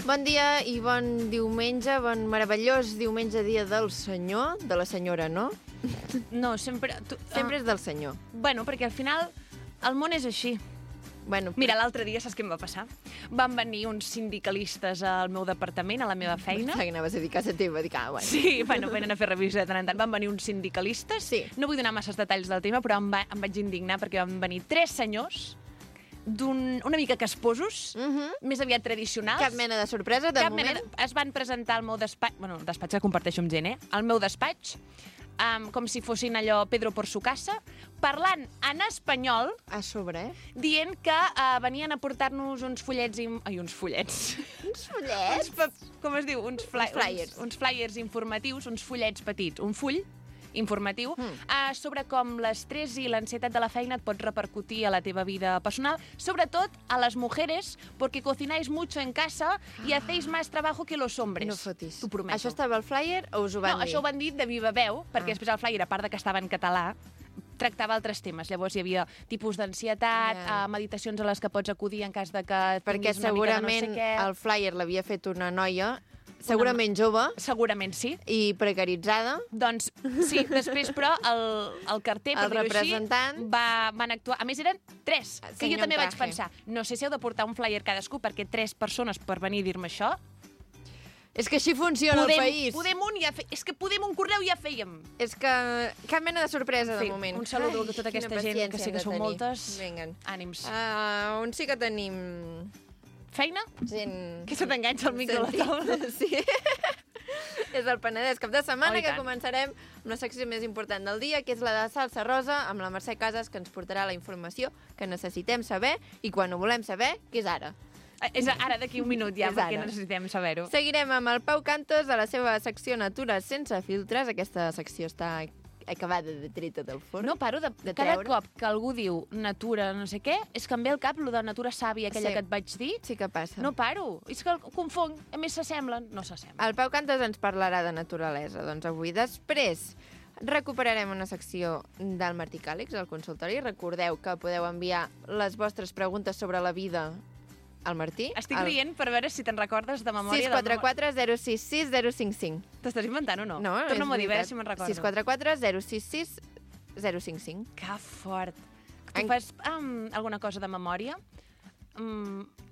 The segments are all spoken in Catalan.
Bon dia i bon diumenge, bon meravellós diumenge, dia del senyor, de la senyora, no? No, sempre... Sempre és del senyor. Bueno, perquè al final el món és així. Bueno, Mira, l'altre dia saps què em va passar? Van venir uns sindicalistes al meu departament, a la meva feina. que anaves a dir casa teva, dic, bueno. Sí, bueno, venen a fer revisió de tant en tant. Van venir uns sindicalistes. Sí. No vull donar masses detalls del tema, però em vaig indignar perquè van venir 3 senyors una mica casposos, més aviat tradicionals. Cap mena de sorpresa, de moment. Es van presentar al meu despatx, bueno, el despatx que comparteixo amb gent, al meu despatx, com si fossin allò Pedro por su casa, parlant en espanyol, A sobre, dient que venien a portar-nos uns fullets... uns fullets? Uns fullets? Com es diu? Uns flyers. Uns flyers informatius, uns fullets petits. Un full informatiu sobre com l'estrès i l'ansietat de la feina et pot repercutir a la teva vida personal, sobretot a les mujeres, porque cocináis mucho en casa y hacéis más trabajo que los hombres. No fotis. T'ho prometo. Això estava al flyer o us ho van dir? No, això ho van dir de viva veu, perquè després el flyer, a part de que estava en català, tractava altres temes. Llavors hi havia tipus d'ansietat, meditacions a les que pots acudir en cas de que perquè tinguis una mica de no sé segurament què. el flyer l'havia fet una noia, segurament jove Segurament sí. i precaritzada. Doncs sí, després, però, el carter, per El dir-ho així, representant. van actuar. A més, eren 3, que jo Senyor també vaig Traje. pensar. No sé si heu de portar un flyer cadascú, perquè 3 persones per venir a dir-me això. És que així funciona el país. És que podem un correu ja fèiem. És que cap mena de sorpresa, de Sí, moment. un saludo a tota aquesta quina gent, que paciència sé que hem de són tenir. moltes. Vinguen. Ànims. On sí que tenim Feina? gent... Que se t'enganxa el micro a la taula. Sí. És el Penedès cap de setmana, Oh, i que tant. començarem amb la secció més important del dia, que és la de Salsa Rosa, amb la Mercè Casas, que ens portarà la informació que necessitem saber i quan ho volem saber, que és ara. És ara, d'aquí un minut ja, És perquè ara. necessitem saber-ho. Seguirem amb el Pau Cantos a la seva secció Natura sense filtres. Aquesta secció està acabada de treta del forn. No paro de cada treure. cop que algú diu natura no sé què, és que em ve al cap lo de natura sàvia, aquella Sí. que et vaig dir. Sí que passa. No paro. És que el confong. A més, s'assemblen. No s'assemblen. El Pau Cantos ens parlarà de naturalesa, doncs avui. Després recuperarem una secció del Martí Càlix, al consultori. Recordeu que podeu enviar les vostres preguntes sobre la vida al Martí. Estic rient per veure si te'n recordes de memòria. 644 066 055. T'estàs inventant o no? No, Torna'm a dir, a veure veritat. si me'n recordo. 644 066 055. Que fort. Tu En- fas alguna cosa de memòria?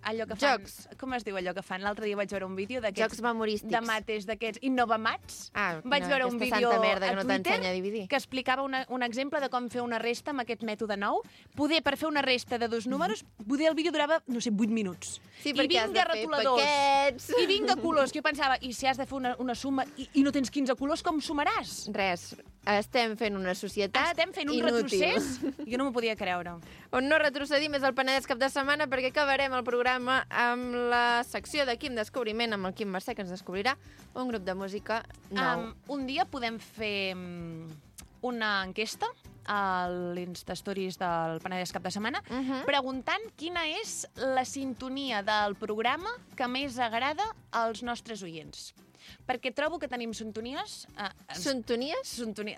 Allò que fan... Jocs. Com es diu allò que fan? L'altre dia vaig veure un vídeo d'aquests... Jocs memorístics. De mates, d'aquests innovamats. no, Vaig veure un aquesta vídeo santa merda que a no Twitter t'ensenya a dividir. que explicava un exemple de com fer una resta amb aquest mètode nou. Per fer una resta de 2 números, el vídeo durava, no sé, 8 minuts. Sí, I perquè has de vinga fer retoladors. paquets. I vinga colors. Que jo pensava, i si has de fer una suma i no tens 15 colors, com sumaràs? Res, estem fent una societat Estem fent un inútil. retrocés? Jo no m'ho podia creure. On no retrocedim és el Penedès cap de setmana, perquè acabarem el programa amb la secció de Quim Descobriment, amb el Quim Mercè, que ens descobrirà un grup de música nou. Un dia podem fer una enquesta a l'Instastories del Penedès cap de setmana, preguntant quina és la sintonia del programa que més agrada als nostres oients. Perquè trobo que tenim sintonies... Sintonies?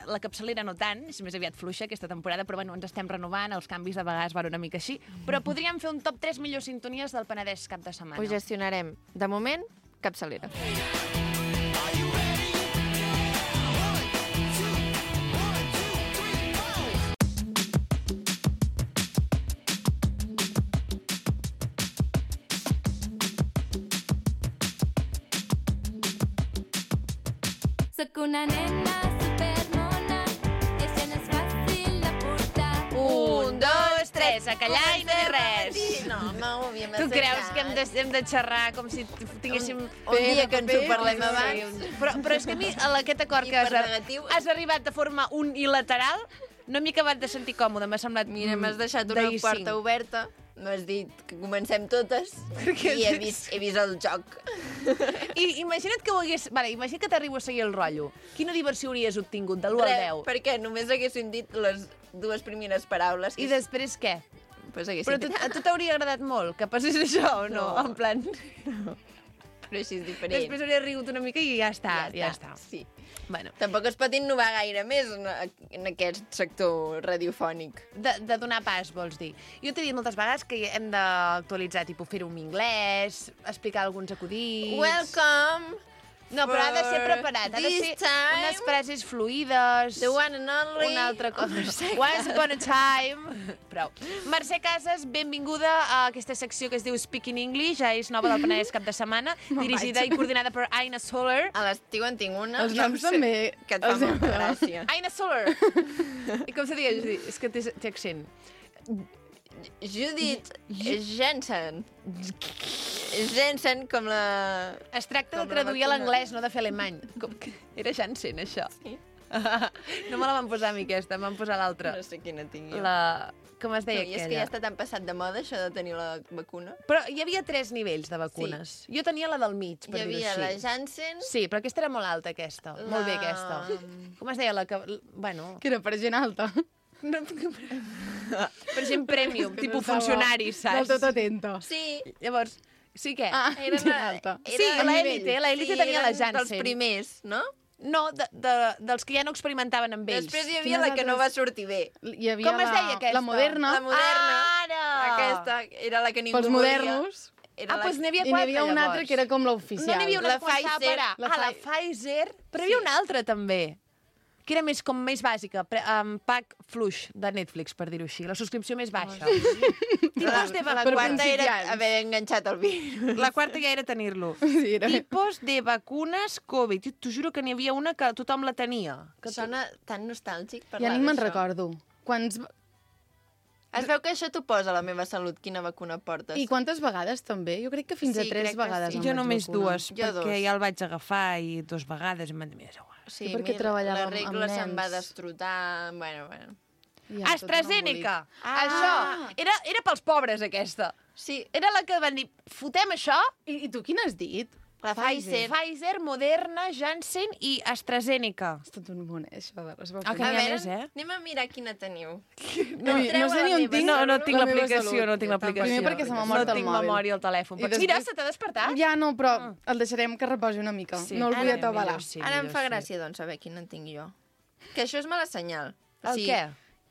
La capçalera no tant, és més aviat fluixa aquesta temporada, però bueno, ens estem renovant, els canvis de vegades van una mica així, però podríem fer un top 3 millors sintonies del Penedès cap de setmana. Ho gestionarem. De moment, capçalera. Soc una nena supermona i això no és fàcil de portar. 1, 2, 3, a callar i no dir res. No, home, ho havíem Tu creus que hem de xerrar com si tinguéssim... Un dia que ens ho parlem abans. Però és que a mi aquest acord que Hipernegatiu. has arribat de forma unilateral no m'he acabat de sentir còmode, m'ha semblat Mira, m'has deixat una d'ahir porta cinc. oberta, m'has dit que comencem totes i he vist el joc. I imagina't que ho hagués... Vale, imagina't que t'arribo a seguir el rotllo. Quina diversió hauries obtingut, de l'1 al 10? Perquè només haguessin dit les 2 primeres paraules. I després què? Pues Però a tu t'hauria agradat molt que passés això o no? No. En plan... Però així és diferent. Després hauré rigut una mica i ja està. Sí. Bueno, Tampoc es pot innovar gaire més en aquest sector radiofònic. de donar pas, vols dir. Jo t'he dit moltes vegades que hem d'actualitzar, tipus fer-ho en anglès, explicar alguns acudits... Welcome! No, però ha de ser preparat. Ha de ser unes frases fluïdes... The one and only... Una altra cosa. Once upon a time... Prou. Mercè Casas, benvinguda a aquesta secció que es diu Speaking English, és nova del Penedès cap de setmana, dirigida i coordinada per Aina Soler. A l'estiu en tinc una... Els noms també... Que et fa molta gràcia. Aina Soler! I com se diu? És que té accent. Judith Jensen. Jensen com la... Es tracta Com de la traduir a vacuna. l'anglès, no de fer alemany. Com que era Janssen, això. Sí. No me la van posar a mi, aquesta, em van posar l'altra. No sé quina tinc jo. Com es deia I és aquella? que ja està tan passat de moda, això de tenir la vacuna. Però hi havia 3 nivells de vacunes. Jo tenia la del mig, per Hi dir-ho havia així. la Janssen... Sí, però aquesta era molt alta, aquesta. Molt bé, aquesta. Com es deia la que... Bueno... Que era per gent alta. No, per gent premium, Que no tipus estava funcionaris, saps? Del tot atenta. Sí, Llavors, sí que... Ah, era gent una... alta. Sí, l'élite tenia la Janssen. dels primers, no? No, dels que ja no experimentaven amb ells. Després hi havia Quines la que no va altres? sortir bé. Hi havia Com es deia aquesta? La moderna. La moderna. Ara! Aquesta era la que ningú Pels volia. modernos. Era Doncs n'hi havia I n'hi 4, havia una altra que era com l'oficial. No n'hi havia una La que començava Pfizer, per A. La Pfizer. Però hi havia una altra, també. Que era més, com més bàsica. Pack fluix de Netflix, per dir-ho així. La subscripció més baixa. Tipus de La Per quarta era principiants. haver enganxat el virus. La quarta ja era tenir-lo. Sí, era... Tipus de vacunes Covid. T'ho juro que n'hi havia una que tothom la tenia. Que Sona tan nostàlgic Ja parlar ni me'n d'això. recordo. Quants... Es veu que això t'ho posa a la meva salut, quina vacuna portes. I quantes vegades també? Jo crec que fins Sí, a 3 crec que vegades sí. em Jo vaig només vacunar. 2, Jo perquè 2. ja el vaig agafar i 2 vegades i m'han dit, és igual. Sí, perquè mira, treballava la amb regla se'm va nens. destrotar... Bueno. Ja, tot un AstraZeneca! Ah. Això! Era pels pobres, aquesta. Sí, Era la que van dir, fotem això, embolic. I tu quin has dit? la Pfizer. Pfizer, Moderna, Janssen i AstraZeneca. És tot un món, això de les Ah, que vacunes. n'hi ha més, anem a mirar quina teniu. No, no sé ni on tinc No tinc la meva l'aplicació, salut. no tinc l'aplicació. Primer perquè se m'ha mort no el tinc mòbil. memòria al telèfon. I Però després- mira, se t'ha despertat? Ja no, però el deixarem que reposi una mica. Sí. No el vull Ara atabalar. millor sí, Ara em millor fa sí. gràcia, doncs, saber quina en tinc jo. Que això és mala senyal. El què?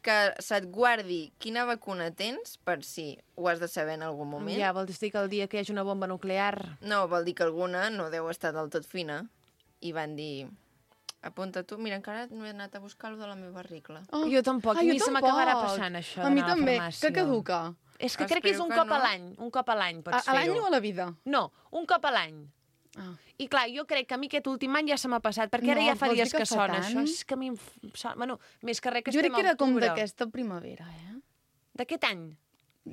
Que se't guardi quina vacuna tens per si ho has de saber en algun moment. Ja, vols dir que el dia que hi hagi una bomba nuclear... No, vol dir que alguna no deu estar del tot fina. I van dir... Apunta tu. Mira, encara no he anat a buscar lo de la meva regla. Oh. Jo tampoc, Ah, i jo se tampoc. m'acabarà passant això A mi d'anar també, la farmàcia. que caduca. És que crec que és Espero un que cop a no. l'any. Un cop a l'any pots A l'any fer-ho. o a la vida? No, un cop a l'any. Ah. I clar, jo crec que a mi aquest últim any ja se m'ha passat, perquè ara No, ja fa vols dir dies que que fa sona tant? això. És que a mi em sona... Bueno, més que res que Jo crec estem que era a com octubre. d'aquesta primavera, eh? D'aquest any?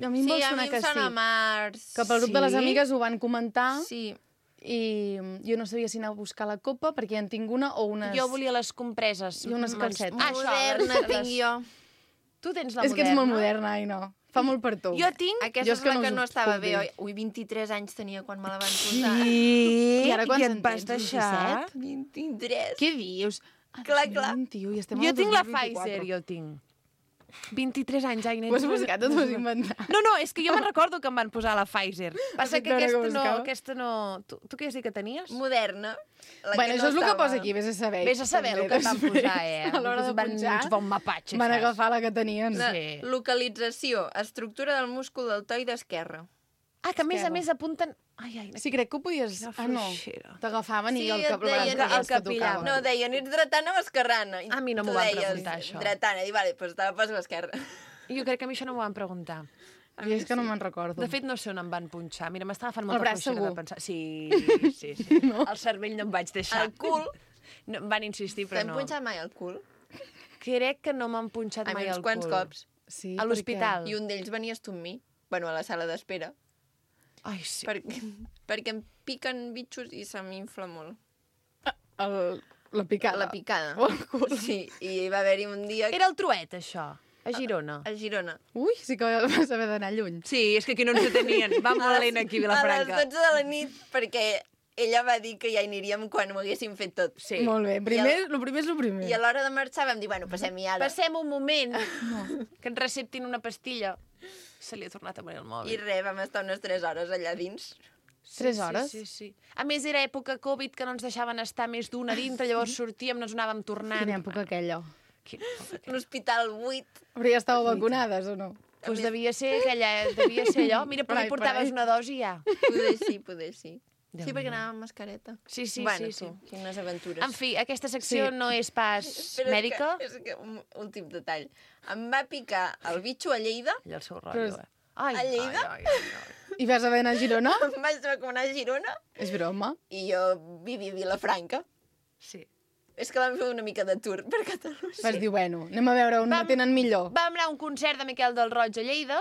A mi em vol Sí, a sonar mi que em sona sí. març. Que pel grup de les Sí? amigues ho van comentar Sí. i jo no sabia si anar a buscar la copa perquè ja en tinc una o unes... Jo volia les compreses. I unes calcetes. Ah, això, Moderna les- tinc jo. Tu tens la És que ets molt moderna. moderna, ai no. Fa molt per tu. Jo tinc... Aquesta Jo és és que la no que us no ho estava puc bé, dir. oi? Ui, 23 anys tenia quan me la van posar. I ara quants I et en vas tens? deixar? 23. Què dius? Ah, Clar, clar. 21, i estem Jo al tinc la 2024. Pfizer, jo tinc. 23 anys, ai, nens. Ho has buscat o t'ho has inventat? No, és que jo me'n recordo que em van posar la Pfizer. Passa fet que veure que aquesta no... buscava. Tu què has dit que tenies? Moderna. La Bueno, que això és el que estava. posa aquí, vés a saber. Vés a saber el També, que et van després, posar, eh? A l'hora de Van punxar, uns bon mapatge, van saps? agafar la que tenien. La Sí. localització, estructura del múscul deltoide esquerre. Ah, que a més a Esquerra. més apunten... Ai, Sí, crec que ho podies... Quina Ah, no. fluixera. T'agafaven i Sí, el et cap el braç deien- que el que tocava. No, deien, ets dretana o esquerrana? I A mi no tu m'ho van deies, preguntar, això. Dretana, i vale, doncs te la poso a l'esquerra. Jo crec que a mi això no m'ho van preguntar. Jo és que no me'n recordo. De fet, no sé on em van punxar. Mira, m'estava fent El molta braç fluixera de segur. pensar. Sí. No? El cervell no em vaig deixar. El cul. No, em van insistir, però T'hem no. punxat mai el cul? Crec que no m'han punxat A mai mi uns el quants cul. cops. Sí, A l'hospital. I un d'ells venies tu amb mi. Bueno, a la sala d'espera. Ai, sí. Perquè em piquen bitxos i se m'infla molt. La picada. La picada. O el cul. Sí, i hi va haver-hi un dia Era el Truet, això, a Girona. a Girona. Ui, sí que vas haver d'anar lluny. Sí, és que aquí no ens detenien. Va molt lent aquí, A les Vilafranca. 12 de la nit, perquè ella va dir que ja hi aniríem quan ho haguéssim fet tot. Sí. Molt bé. Lo primer és lo primer. I a l'hora de marxar vam dir, bueno, passem-hi ara. Passem un moment que ens receptin una pastilla. Se li ha tornat a morir el I mòbil. res, vam estar unes 3 hores allà dins. 3 hores? Sí. A més, era època Covid, que no ens deixaven estar més d'una dintre, llavors sortíem, no ens anàvem tornant. Quina època aquella. L'hospital buit. Però ja estàveu vacunades, o no? Doncs devia ser allò. Mira, però hi portaves una dosi ja. Poder sí. Sí, perquè anava amb mascareta. Sí. Bueno, quines aventures. En fi, aquesta secció no és pas mèdica. És que un últim detall. Em va picar el bitxo a Lleida. Allà el seu rotllo, A Lleida? I vas haver d'anar a Girona? Em vaig recomanar a Girona. És broma. I jo vivia a Vilafranca. Sí. És que vam fer una mica de tour per Catalunya. Vas dir, bueno, anem a veure on la tenen millor. Vam anar a un concert de Miquel del Roig a Lleida.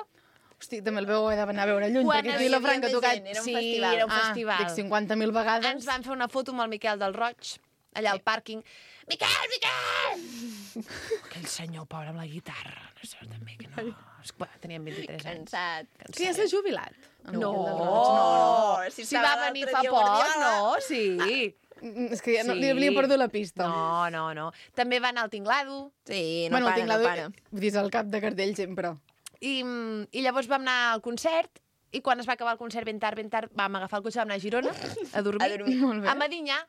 Hosti, també el veu d'anar a veure lluny, Quan perquè aquí a Vilafranca ha tocat... Era un festival. Era un festival. Dic 50.000 vegades. Ens van fer una foto amb el Miquel del Roig, allà al pàrquing. Miquel! Aquell senyor pobre amb la guitarra. No sé, també que no... Teníem 23 anys. Cansat. Que ja s'ha jubilat. No, Si si va venir fa poc, no, sí. És que ja no, li havia perdut la pista. No. També va anar al Tinglado. Sí, No para. Vull dir, és el cap de cartell sempre. I llavors vam anar al concert, i quan es va acabar el concert ben tard, vam agafar el cotxe, vam anar a Girona, a dormir. Molt bé. A Medinyà,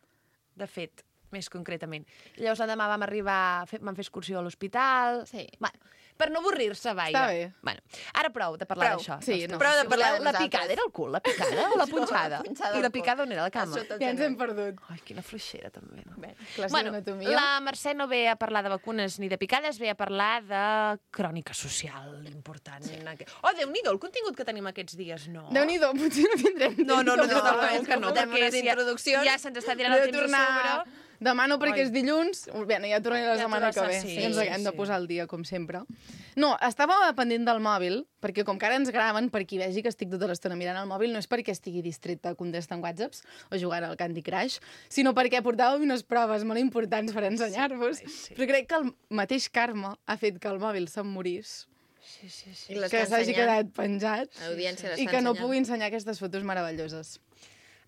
de fet, més concretament. Llavors l'endemà vam vam fer excursió a l'hospital. Sí. Bueno, per no avorrir-se, vaja. Està bé. Bueno, ara prou de parlar d'això. Sí, no. Prou de parlar de La nosaltres. picada era el cul, la picada o la punxada? punxada I la al picada cul. on era? A la cama? A sota. Ja ens hem perdut. Ai, quina fluixera, també. No? Classe Bueno, d'anatomia. la Mercè no ve a parlar de vacunes ni de picades, ve a parlar de crònica social important. Sí. Oh, Déu-n'hi-do, el contingut que tenim aquests dies, no? Déu-n'hi-do, potser no tindrem temps. No, és que no, fotem perquè unes introduccions. ja se'ns està tirant el temps a sobre. Demà no, perquè és dilluns. Bé, ja tornaré la setmana que ve. sí, I ens haguem de sí. posar al dia, com sempre. No, estava pendent del mòbil, perquè com que ara ens graven, per qui vegi que estic tota l'estona mirant el mòbil, no és perquè estigui distreta contestant whatsapps o jugant al Candy Crush, sinó perquè portàvem unes proves molt importants per ensenyar-vos. Sí. Però crec que el mateix karma ha fet que el mòbil se'm morís, Sí. I l'està que s'hagi ensenyant. quedat penjat L'audiència l'està i que no ensenyant. pugui ensenyar aquestes fotos meravelloses.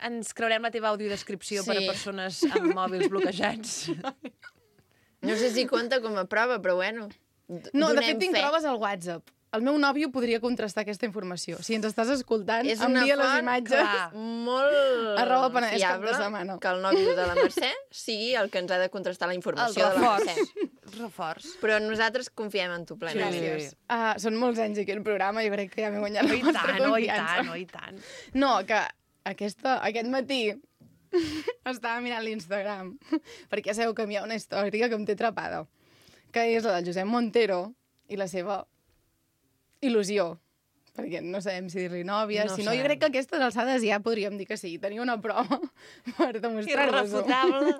Ens creurem la teva audiodescripció per a Sí. persones amb mòbils bloquejats. No sé si compta com a prova, però bueno. No, de donem fet, tinc fe. proves al WhatsApp. El meu nòvio podria contrastar aquesta informació. Si ens estàs escoltant, És una envia les font, imatges. clar. Molt Arroba Penedès cap de fiable setmana. que el nòvio de la Mercè sigui el que ens ha de contrastar la El informació de la Mercè. reforç. Però nosaltres confiem en tu plenament. Sí. Són molts anys aquí al programa i crec que ja m'he guanyat la I vostra tant, confiança. i tant. No, que aquest matí estava mirant l'Instagram perquè sabeu que hi ha una història que em té atrapada, que és la del Josep Montero i la seva il·lusió. Perquè no sabem si dir-li nòvia, No si no, jo sabem. crec que a aquestes alçades ja podríem dir que sí. Tenia una prova per demostrar-vos-ho. Irrefutable.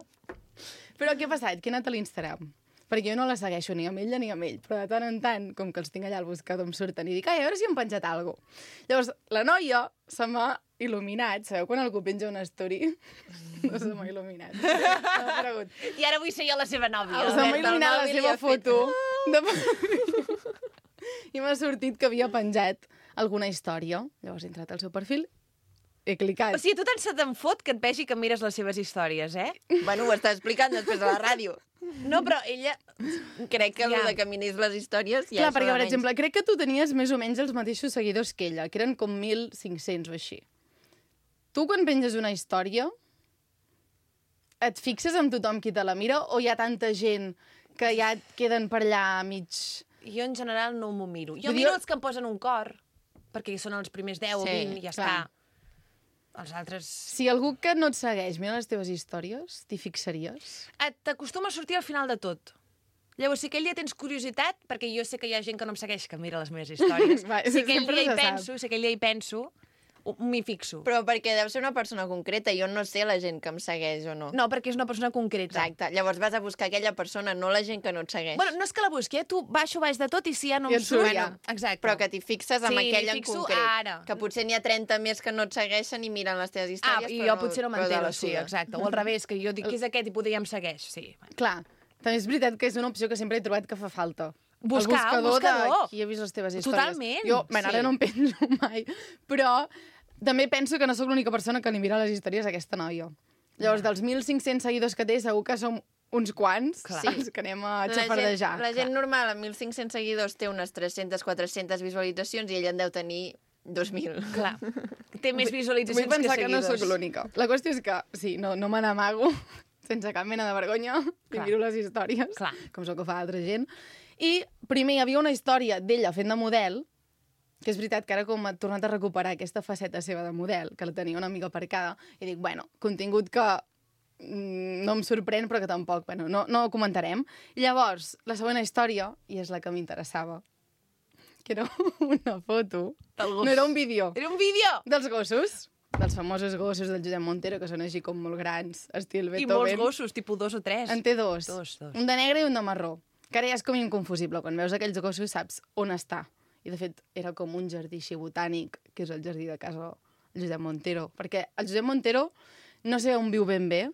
Però què ha passat? Que he anat a l'Instagram. Perquè jo no la segueixo ni amb ella ni amb ell, però de tant en tant, com que els tinc allà al buscador, em surten i dic, ai, a veure si hem penjat alguna cosa. Llavors, la noia se m'ha il·luminat. Sabeu quan algú penja una story? No se m'ha il·luminat. M'ha aparegut. I ara vull ser jo la seva nòvia. El Se m'ha Albert del il·luminat la mòbil seva i ha fet- foto. I m'ha sortit que havia penjat alguna història. Llavors he entrat al seu perfil, he clicat. O sigui, tu tant se te'n fot que et vegi que mires les seves històries, eh? Bueno, ho està explicant després a la ràdio. No, però ella... Crec que Ja. el de que miris les històries ja Clar, és perquè, per almenys. exemple, crec que tu tenies més o menys els mateixos seguidors que ella, que eren com 1.500 o així. Tu, quan penges una història, et fixes amb tothom qui te la mira o hi ha tanta gent que ja et queden per allà mig... Jo, en general, no m'ho miro. Jo Vull dir, miro els que em posen un cor, perquè són els primers 10 o Sí, 20 i ja clar. està. Els altres... Si algú que no et segueix mira les teves històries, t'hi fixaries? T'acostuma a sortir al final de tot. Llavors, si aquell dia tens curiositat, perquè jo sé que hi ha gent que no em segueix que mira les meves històries, Va, si aquell sempre dia hi se sap. penso, si aquell dia hi penso, m'hi fixo. Però perquè deu ser una persona concreta. Jo no sé la gent que em segueix o no. No, perquè és una persona concreta. Exacte. Llavors vas a buscar aquella persona, no la gent que no et segueix. Bueno, no és que la busqui, tu baixo baix de tot i si ja no I em et surt surt... ja. Exacte. Però que t'hi fixes amb Sí, aquell m'hi en fixo concret. ara. Que potser n'hi ha 30 més que no et segueixen i miren les teves històries, i però jo potser no però de m'entero, la sí, suda. exacte. O al revés, que jo dic que és aquest i poder ja em segueix, sí. Clar, també és veritat que és una opció que sempre he trobat que fa falta. Buscar, el un buscador. de qui ha vist les teves històries. Totalment, Jo, bueno, ara sí. no em penso mai, però també penso que no sóc l'única persona que li mira les històries a aquesta noia. Llavors, dels 1.500 seguidors que té, segur que som uns quants, Clar. els que anem a xafardejar. La gent normal amb 1.500 seguidors té unes 300-400 visualitzacions i ella en deu tenir 2.000. Clar, té més visualitzacions Vull pensar que que no seguidors. sóc l'única. La qüestió és que, sí, no me n'amago sense cap mena de vergonya i Clar. miro les històries, Clar. com sóc que fa altra gent. I primer hi havia una història d'ella fent de model, que és veritat que ara com ha tornat a recuperar aquesta faceta seva de model, que la tenia una mica aparcada, i dic, bueno, contingut que no em sorprèn, però que tampoc, bueno, no ho comentarem. I llavors, la segona història, i és la que m'interessava, que era una foto, Del gos. no era un vídeo, Era un vídeo! dels gossos, dels famosos gossos del Josep Montero, que són així com molt grans, estil I Beethoven. molts gossos, tipus 2 o 3. En té dos. Dos. Un de negre i un de marró. Que ara ja és com inconfusible. Quan veus aquells gossos saps on està. I, de fet, era com un jardí així botànic, que és el jardí de casa del Josep Montero. Perquè el Josep Montero no sé on viu ben bé,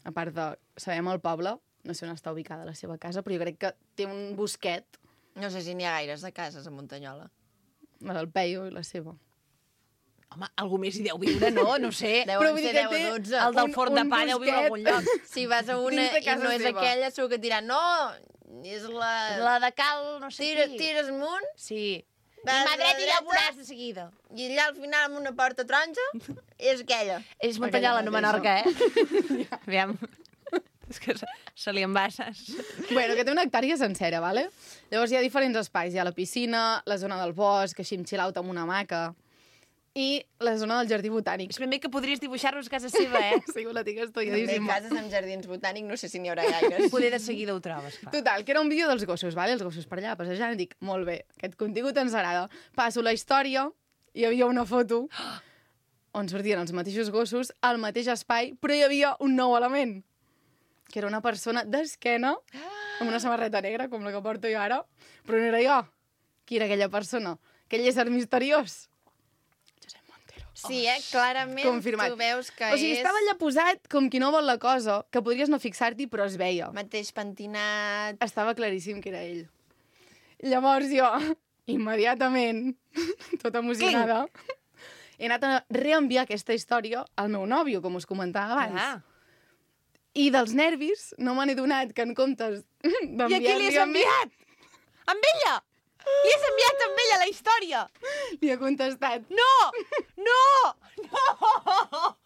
a part de... Sabem el poble, no sé on està ubicada la seva casa, però jo crec que té un bosquet, No sé si n'hi ha gaires de cases a Muntanyola. la del Peio i la seva. Home, algú més hi deu viure, no? No sé. Deuen vull dir ser que 10 o té 12. El del un- forn de un pa deu viure a algun bosquet. lloc. Si vas a una Dins de i casa no és seva. aquella, segur que et diran, no, és la... La de cal, no sé qui. Tires amunt, Sí. I Vas mà a la dreta i ja ho dreta. veuràs de seguida. i allà al final amb una porta taronja, és aquella. És Muntanyola, no mateixa. Menorca, eh? Aviam. És que se li embasses. Bueno, que té una hectàrea sencera, vale? Llavors hi ha diferents espais. Hi ha la piscina, la zona del bosc, així amb chill-out amb una hamaca, i la zona del jardí botànic. És ben bé que podries dibuixar-nos a casa seva, eh? Sí, la tinc També estudiadíssima. cases amb jardins botànics, no sé si n'hi haurà gaires. Poder de seguida ho trobes, clar. Total, que era un vídeo dels gossos, vale? Els gossos per allà, passejant, i dic, molt bé, aquest contingut ens agrada. Passo la història, hi havia una foto on sortien els mateixos gossos al mateix espai, però hi havia un nou element, que era una persona d'esquena, amb una samarreta negra, com la que porto jo ara, però no era jo. Qui era aquella persona? Aquell ésser misteriós. Josep Montero. Sí, clarament Confirmat. tu veus que O sigui, és estava allà posat com qui no vol la cosa, que podries no fixar-t'hi, però es veia. mateix pentinat. Estava claríssim que era ell. Llavors jo, immediatament, tota emocionada, he anat a reenviar aquesta història al meu nòvio, com us comentava abans. Clar. I dels nervis no me n'he donat que en comptes I a qui li d'enviar-li has a mi, enviat? Amb ella! Li has enviat amb ella la història! li ha contestat. No! No! No!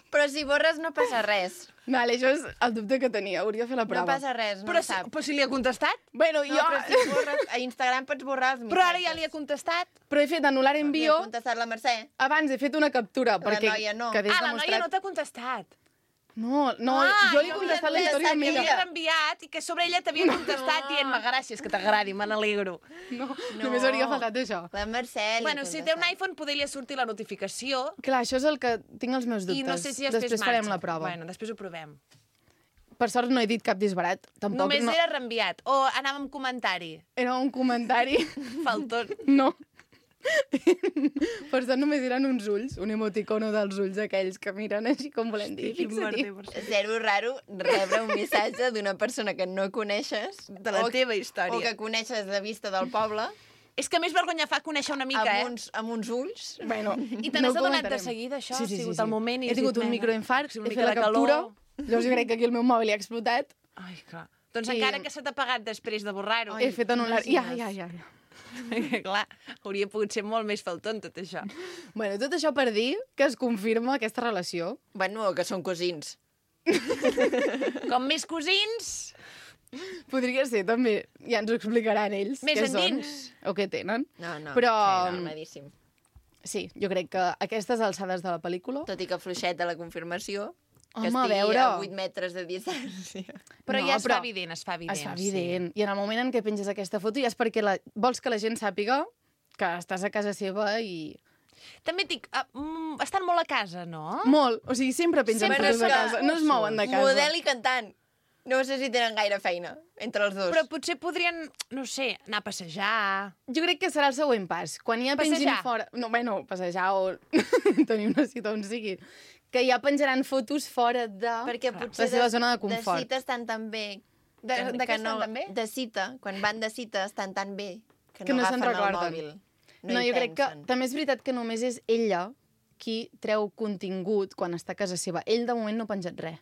Però si borres no passa res. Vale, això és el dubte que tenia, hauria de fer la No prova. passa res, no Però, ho sap. però si li ha contestat? Bueno, No, jo... però si borres, a Instagram pots borrar els missatges. Però ara ja li ha contestat. Però he fet anul·lar Li envio, ha contestat la Mercè. abans he fet una captura, perquè noia no. quedés Ah, la demostrat... noia no t'ha contestat. No, jo li he contestat la història a que ella. l'havies reenviat i que sobre ella t'havia contestat dient-me gràcies, que t'agradi, me n'alegro. No, només hauria faltat això. La Mercè li Bueno, ha si té un contestat. iPhone, poder li sortir la notificació Clar, això és el que tinc els meus dubtes. i no sé si després farem la prova. Bueno, després ho provem. Per sort no he dit cap disbarat. Tampoc Només no. era reenviat. O anava amb comentari. Era un comentari. Faltón. No. Per sort només eren uns ulls, un emoticono dels ulls aquells que miren així com volem dir. Fixa-t'hi. Zero raro rebre un missatge d'una persona que no coneixes De la teva història. o que coneixes de vista del poble És que més vergonya fa conèixer una mica, amb uns ulls. Bueno, I te n'has adonat de seguida, això? Ha sigut el moment i He has tingut dit, un "Vinga, microinfart, una he mica fet la de captura, calor". llavors jo crec que aquí el meu mòbil ha explotat, Ai, clar. Doncs I- encara que se t'ha pagat després de borrar-ho. he fet anul·lar... imagines. Ja. Clar, hauria pogut ser molt més faltón tot això. Bueno, tot això per dir que es confirma aquesta relació. Bueno, que són cosins. Com més cosins, Podria ser, també. Ja ens ho explicaran ells. Més què endins. són, o què tenen. No. Però- Sí, normalíssim. Sí, jo crec que a aquestes alçades de la pel·lícula... Tot i que fluixeta la confirmació, que Home, a estigui veure... a 8 metres de distància. però No, ja es però fa evident, es fa evident. Es fa evident. I en el moment en què penges aquesta foto ja és perquè vols que la gent sàpiga que estàs a casa seva i... Sí. També et dic, estan molt a casa, no? Molt. O sigui, sempre pengen Sempre fotos de és que- casa. No es mouen de casa. Model i cantant. No sé si tenen gaire feina entre els dos. Però potser podrien, no sé, anar a passejar... Jo crec que serà el següent pas. Quan ja pengin Passejar. fora... No, bueno, passejar o tenir una cita on sigui. Que ja penjaran fotos fora de Perquè potser la seva zona de confort. De cita estan tan bé... De què estan tan bé? De cita, quan van de cita estan tan bé que Que no se'n agafen el recorden. mòbil. No, hi jo crec que pensen. també és veritat que només és ella qui treu contingut quan està a casa seva. Ell, de moment, no ha penjat res.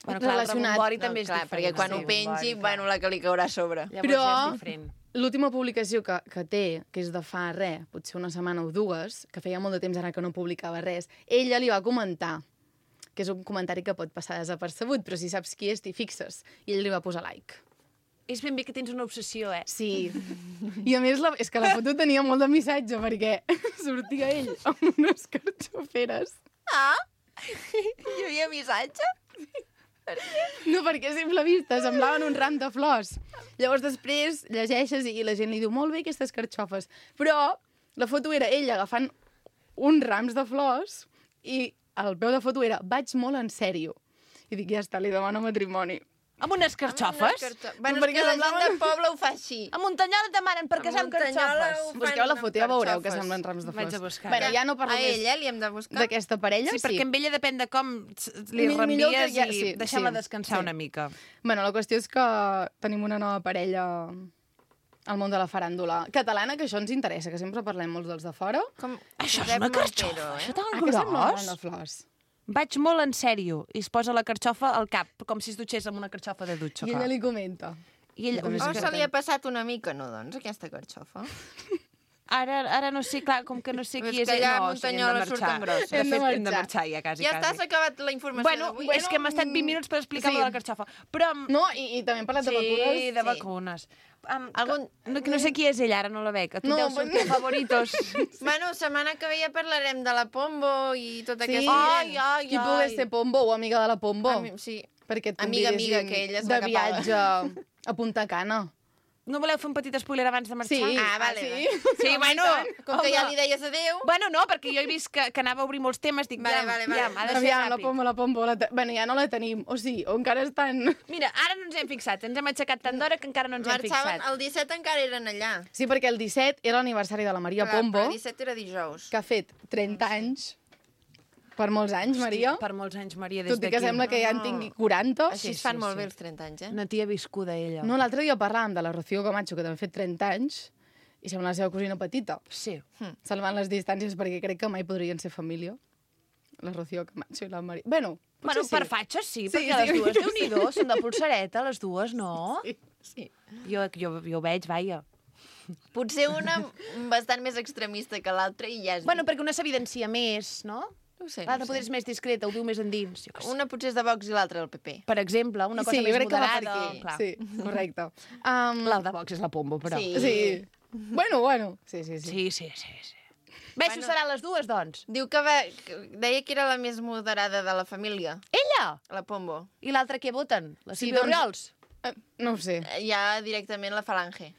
Bueno, clar, el relacionat. rebombori No, també és clar, diferent. perquè quan Sí, ho pengi, rebombori, bueno, la que li caurà a sobre. Llavors Però- ja és diferent. l'última publicació que té, que és de fa potser una setmana o dues, que feia molt de temps ara que no publicava res, ella li va comentar, que és un comentari que pot passar desapercebut, però si saps qui és, t'hi fixes. I ell li va posar like. És ben bé que tens una obsessió, Sí. I a més, és que la foto tenia molt de missatge, perquè sortia ell amb unes carxoferes. Ah! Hi havia missatge? No, perquè a simple vista semblaven un ram de flors. Llavors després llegeixes i la gent li diu molt bé aquestes carxofes. Però la foto era ell agafant uns rams de flors i el peu de foto era vaig molt en sèrio. I dic, ja està, li demano matrimoni. Amb unes carxofes? Bueno, perquè la gent del poble ho fa així. A Muntanyola et demanen per casar amb carxofes. Busqueu la foto, ja veureu que semblen rams de flors. Vaig a buscar. Bueno, ja no parlo A més ella li hem de buscar. d'aquesta parella. Sí, perquè amb ella depèn de com li Millor que reenvies ja- i sí, deixar-la sí, descansar sí. una mica. Bueno, la qüestió és que tenim una nova parella al món de la faràndula catalana, que això ens interessa, que sempre parlem molts dels de fora. Com Això és Josep una Montero, carxofa, això tan Ah, que sembla un ram gros. de flors. Vaig molt en sèrio. I es posa la carxofa al cap, com si es dutxés amb una carxofa de dutxa. I ella li comenta. I ell, també O és se li ha passat una mica, no, doncs, aquesta carxofa? ara no sé, clar, com que no sé És qui és... que ja no, Muntanyola hem de surt marxar. en gros. De Hem de fet, hem de marxar. marxar ja, quasi, Ja està, quasi. s'ha acabat la informació Bueno, d'avui. és que hem estat 20 minuts per explicar sí. de la carxofa. Però... No, i també hem parlat de vacunes. Sí, de vacunes. Algun- No sé qui és ella, ara no la veig. A tu No, deu sortir favoritos. Bueno, setmana que ve ja parlarem de la Pombo i tot Sí, aquesta Ai, ai, qui ai. pogués ser Pombo o amiga de la Pombo. Sí. Perquè et Amiga, convidessin que ella és de la que paga. viatge a Punta Cana. No voleu fer un petit spoiler abans de marxar? Sí. Ah, vale. sí. vale. Sí, bueno. Com que ja home. li deies adéu... Bueno, no, perquè jo he vist que anava a obrir molts temes, dic, Vale, ja, vale, vale. ja, ha de ser Aviam, ràpid. la Pombo, bueno, ja no la tenim. O sigui, o encara estan... Mira, ara no ens hem fixat, ens hem aixecat tant d'hora que encara no ens hem Marxaven, fixat. el 17 encara eren allà. Sí, perquè el 17 era l'aniversari de la Maria Clar, Pombo, però el 17 era dijous. que ha fet 30 anys. Per molts anys, Maria. Per molts anys, Maria, des Tot i d'aquí. que sembla que ja en tingui 40. Així es sí, fan sí, molt sí. bé els 30 anys, eh? Una tia viscuda, ella. No, l'altre dia parlàvem de la Rocío Camacho, que també ha fet 30 anys, i sembla la seva cosina petita. Sí. Salvant les distàncies, perquè crec que mai podrien ser família. La Rocío Camacho i la Maria... Bueno, Bueno, potser per fatxes sí, Sí, perquè sí. les dues, Déu-n'hi-do, són de polsareta, les dues, no? Sí, sí. Jo ho veig, vaja. Potser una bastant més extremista que l'altra i ja és... Bueno, perquè una s'evidencia més, no? no ho sé. L'altra No ho potser sé. és més discreta, ho viu més endins. Jo què sé. Una potser és de Vox i l'altra del PP. Per exemple, una cosa Sí, més jo crec que va per moderada. aquí. Clar. Sí, correcte. La de Vox és la Pombo, però. Sí. Sí. Bueno. Sí. Sí. Bé, això seran les dues, doncs. Diu que deia que era la més moderada de la família, Ella! la Pombo. I l'altra què voten? La Sí, Sílvia doncs- Oriols? No ho sé. Ja directament la falange.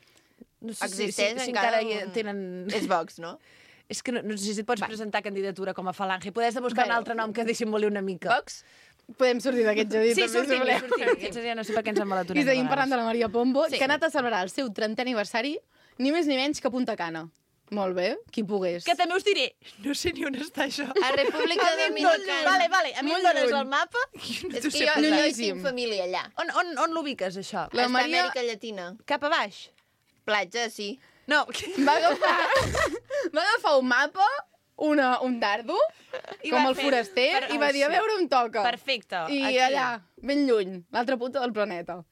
No sé Existeix si encara encara hi tenen... És Vox, no? És que no sé si et pots presentar candidatura com a falange. Podries de buscar un altre nom que dissimuli una mica. Vox? Podem sortir d'aquest jardí, Sí, també, si voleu. sortim. Aquests ja no sé per què ens embalatorem. I seguim parlant de la Maria Pombo, Sí. que ha anat a celebrar el seu 30è aniversari ni més ni menys que a Punta Cana. Molt bé, qui pogués. Que també us diré, no sé ni on està això. A República Dominicana. Vale, a mi em Molt dones lluny. el mapa? És que jo hi Llunyíssim. tinc família allà. On l'ubiques, això? La Està a Maria Amèrica Llatina. Cap a baix? Platja, sí. No. va agafar un mapa, un dardo, I com va el fer- foraster, i va dir a veure on toca. Perfecte. I aquí. allà, ben lluny, l'altra punta del planeta.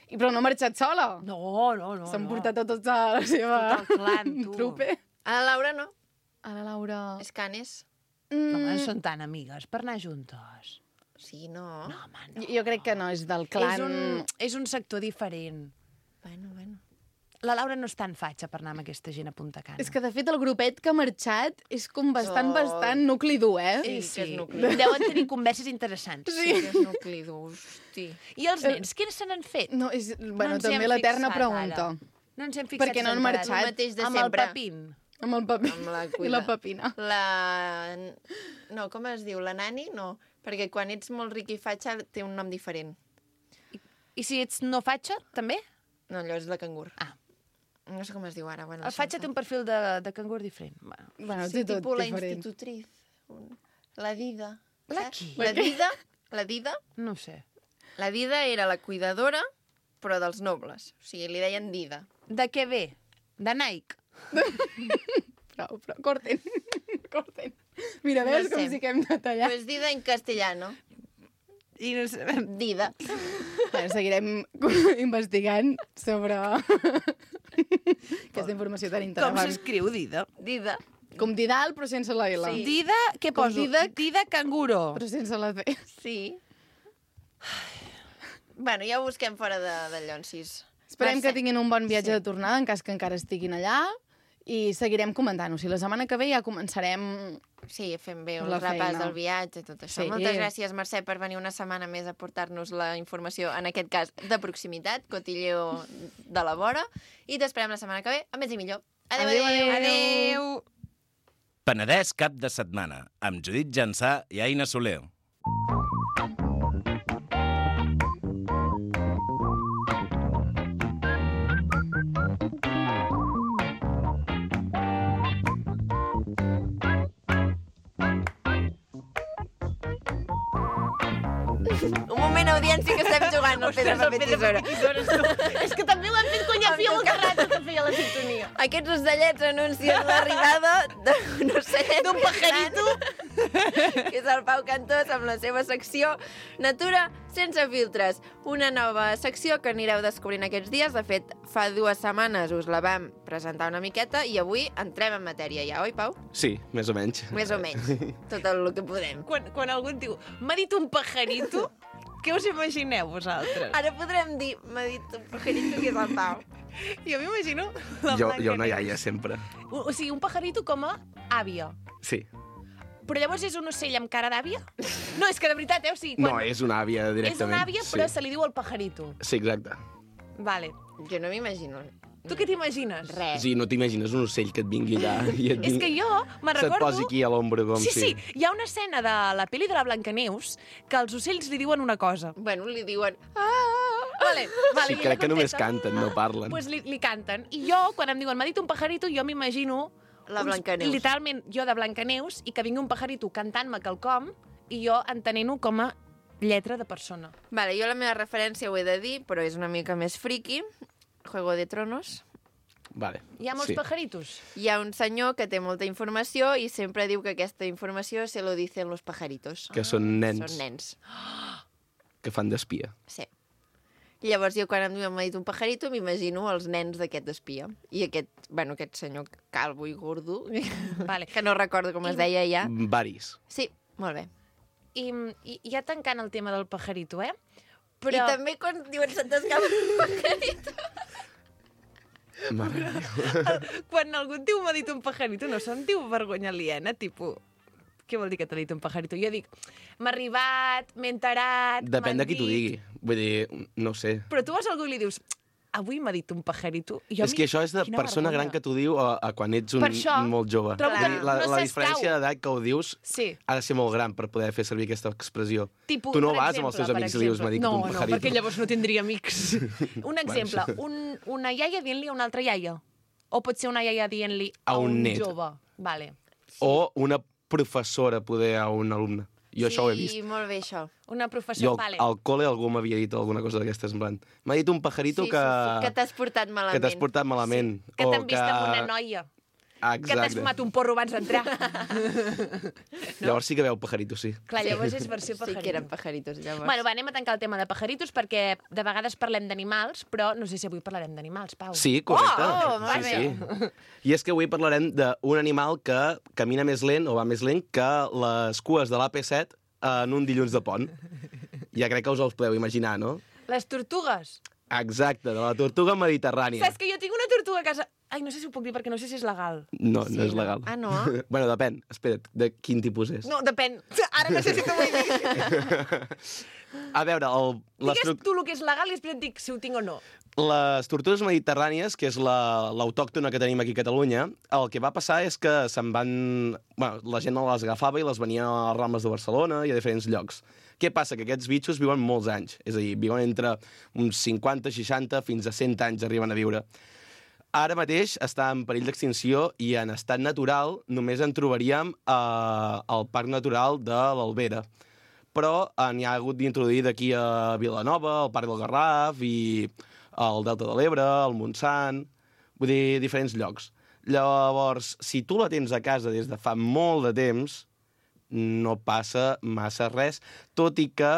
Però no ha marxat sola. No. S'han portat a tota la seva Tot el clan, tu. trupe. A la Laura no. A la Laura... És Canes. No, no són tan amigues per anar juntes. Sí, no. No, home, no. Jo crec que no, és del clan... És un sector diferent. Bueno. La Laura no és tan fatxa per anar amb aquesta gent a Punta Cana. És que, de fet, el grupet que ha marxat és com bastant Oh. nucli dur, eh? Sí, que és nucli. Deuen tenir converses interessants. Sí, que és nucli dur, hosti. I els nens, què se n'han fet? No, és, bueno, ens hi també hem l'eterna fixat, pregunta. ara. No ens hem fixat. Perquè no han si s'han marxat. quedat El mateix de amb sempre. el papín. Amb el paper Amb la i cuida. la papina. No, com es diu? La nani? No. Perquè quan ets molt ric i fatxa té un nom diferent. I si ets no fatxa, també? No, allò és la cangur. Ah. No sé com es diu ara. Bueno, El fatxa té un perfil de cangur diferent. Bueno. Bueno, Sí, té tot tipus la diferent. institutriz. La Dida. La saps? qui? La Dida. No ho sé. La Dida era la cuidadora, però dels nobles. O sigui, li deien Dida. De què ve? De Nike? Però, corten. Corten. Mira, veus No com sé. sí que hem de tallar. Pues Dida en castellano. I no sé... Dida. Bueno, seguirem investigant sobre Aquesta informació tan Com interessant. s'escriu Dida? Dida. Com Didal, però sense la L. Sí. Dida, què Com poso? Didac. Dida canguro. Però sense la C. Sí. Bueno, ja ho busquem fora de Llonsis. Esperem que Mercè. tinguin un bon viatge de tornada, en cas que encara estiguin allà, i seguirem comentant-ho. Si la setmana que ve ja començarem... Sí, fem bé el La repàs feina. del viatge i tot això. Sí. Moltes gràcies, Mercè, per venir una setmana més a portar-nos la informació, en aquest cas, de proximitat, cotilleo de la vora, i t'esperem la setmana que ve, a més i millor. Adéu, adéu. Adéu. Penedès cap de setmana, amb Judit Jansà i Aina Soler. Un moment, audiència, que estem jugant al pedra, paper, tisora. És que també ho hem fet quan ja feia molta rata que feia la sintonia. Aquests ocellets anuncien l'arribada d'un ocellet D'un pajarito. que és el Pau Cantós amb la seva secció Natura sense filtres. Una nova secció que anireu descobrint aquests dies. De fet, fa 2 setmanes us la vam presentar una miqueta i avui entrem en matèria ja, oi, Pau? Sí, més o menys. Més o menys. Tot el que podem. Quan algú et diu, m'ha dit un pajarito, què us imagineu vosaltres? Ara podrem dir, m'ha dit un pajarito que és el Pau. Jo m'imagino la Jo Blanca una Neus. iaia, sempre. O sigui, un pajarito com a àvia. Sí. Però llavors és un ocell amb cara d'àvia? No, és que de veritat, o sigui... No, és una àvia és directament. una àvia, però sí. se li diu el pajarito. Sí, exacte. Vale. Jo no m'imagino. Tu què t'imagines? Res. Sí, no t'imagines un ocell que et vingui allà i et, És que jo me'n se't recordo... posi aquí a l'ombra com Sí, si... sí, hi ha una escena de la pel·li de la Blancaneus que els ocells li diuen una cosa. Bueno, li diuen... Vale, Sí, i crec que només contesten. canten, no parlen. Pues li canten. I jo, quan em diuen, m'ha dit un pajarito, jo m'imagino... La Blancaneus. Literalment, jo de Blancaneus, i que vingui un pajarito cantant-me quelcom, i jo entenent-ho com a lletra de persona. Vale, jo la meva referència ho he de dir, però és una mica més friki. Juego de Tronos. Vale. Hi ha molts sí. pajaritos. Hi ha un senyor que té molta informació i sempre diu que aquesta informació se lo dicen los pajaritos. Que són nens Són nens, que fan d'espia. sí. I llavors jo quan em diuen m'ha dit un pajarito m'imagino els nens d'aquest espia. I aquest senyor calvo i gordo, Vale. que no recordo com es deia ja. Varis. Sí, molt bé. I ja tancant el tema del pajarito, eh? Però... I també quan diuen se't escapa un pajarito. Mare meva. Quan algú et diu m'ha dit un pajarito, no se'n diu vergonya aliena, tipus... Què vol dir que t'ha dit un pajarito? Jo dic, m'ha arribat, m'he enterat... Depèn m'han de qui t'ho dit. digui. Vull dir, no ho sé. Però tu vas a algú i li dius, avui m'ha dit un pajarito. I jo És que això és de quina persona vergonya. gran que t'ho diu a quan ets Per això, molt jove. trobo que Vull dir, la no la s'escau. diferència d'edat que ho dius Sí. ha de ser molt gran per poder fer servir aquesta expressió. Tipus, Tu no per vas exemple, amb els teus per amics i li dius, exemple. m'ha dit no, un pajarito. No, perquè llavors no tindria amics. Un exemple, això. una iaia dient-li a una altra iaia. O pot ser una iaia dient-li A un net. jove. Vale. O una professora, poder, a un alumne. Jo això ho he vist. Sí, molt bé, això. Una Jo professora, vale. al col·le algú m'havia dit alguna cosa d'aquestes, en plan, m'ha dit un pajarito Sí, que... sí, sí, que t'has portat malament. Que t'has portat malament. Que o t'han vist amb una noia. Que t'has Exacte. fumat un porro abans d'entrar. Llavors sí que veu pajarito, sí. Clar, llavors és versió Sí pajarito. que eren pajaritos, llavors. Bueno, va, anem a tancar el tema de pajaritos perquè de vegades parlem d'animals, però no sé si avui parlarem d'animals, Pau. Sí, correcte. Oh, molt sí, sí. I és que avui parlarem d'un animal que camina més lent o va més lent que les cues de l'AP7 en un dilluns de pont. Ja crec que us els podeu imaginar, no? Les tortugues. Exacte, de la tortuga mediterrània. Saps que jo tinc una tortuga a casa... Ai, no sé si ho puc dir perquè no sé si és legal. No, Sí, no és legal. Ah, no? Bueno, depèn. Espera't, de quin tipus és? No, depèn. Ara no sé si t'ho vull dir. A veure, Digues tu el que és legal i després et dic si ho tinc o no. les tortugues mediterrànies, que és l'autòctona que tenim aquí a Catalunya, el que va passar és que se'n van... Bueno, la gent les agafava i les venia a les Rambles de Barcelona i a diferents llocs. Què passa? Que aquests bitxos viuen molts anys. És a dir, viuen entre uns 50, 60, fins a 100 anys arriben a viure. Ara mateix està en perill d'extinció i en estat natural només en trobaríem al Parc Natural de l'Albera. Però n'hi ha hagut d'introduir d'aquí a Vilanova, al Parc del Garraf i al Delta de l'Ebre, al Montsant, vull dir, diferents llocs. Llavors, si tu la tens a casa des de fa molt de temps, no passa massa res, tot i que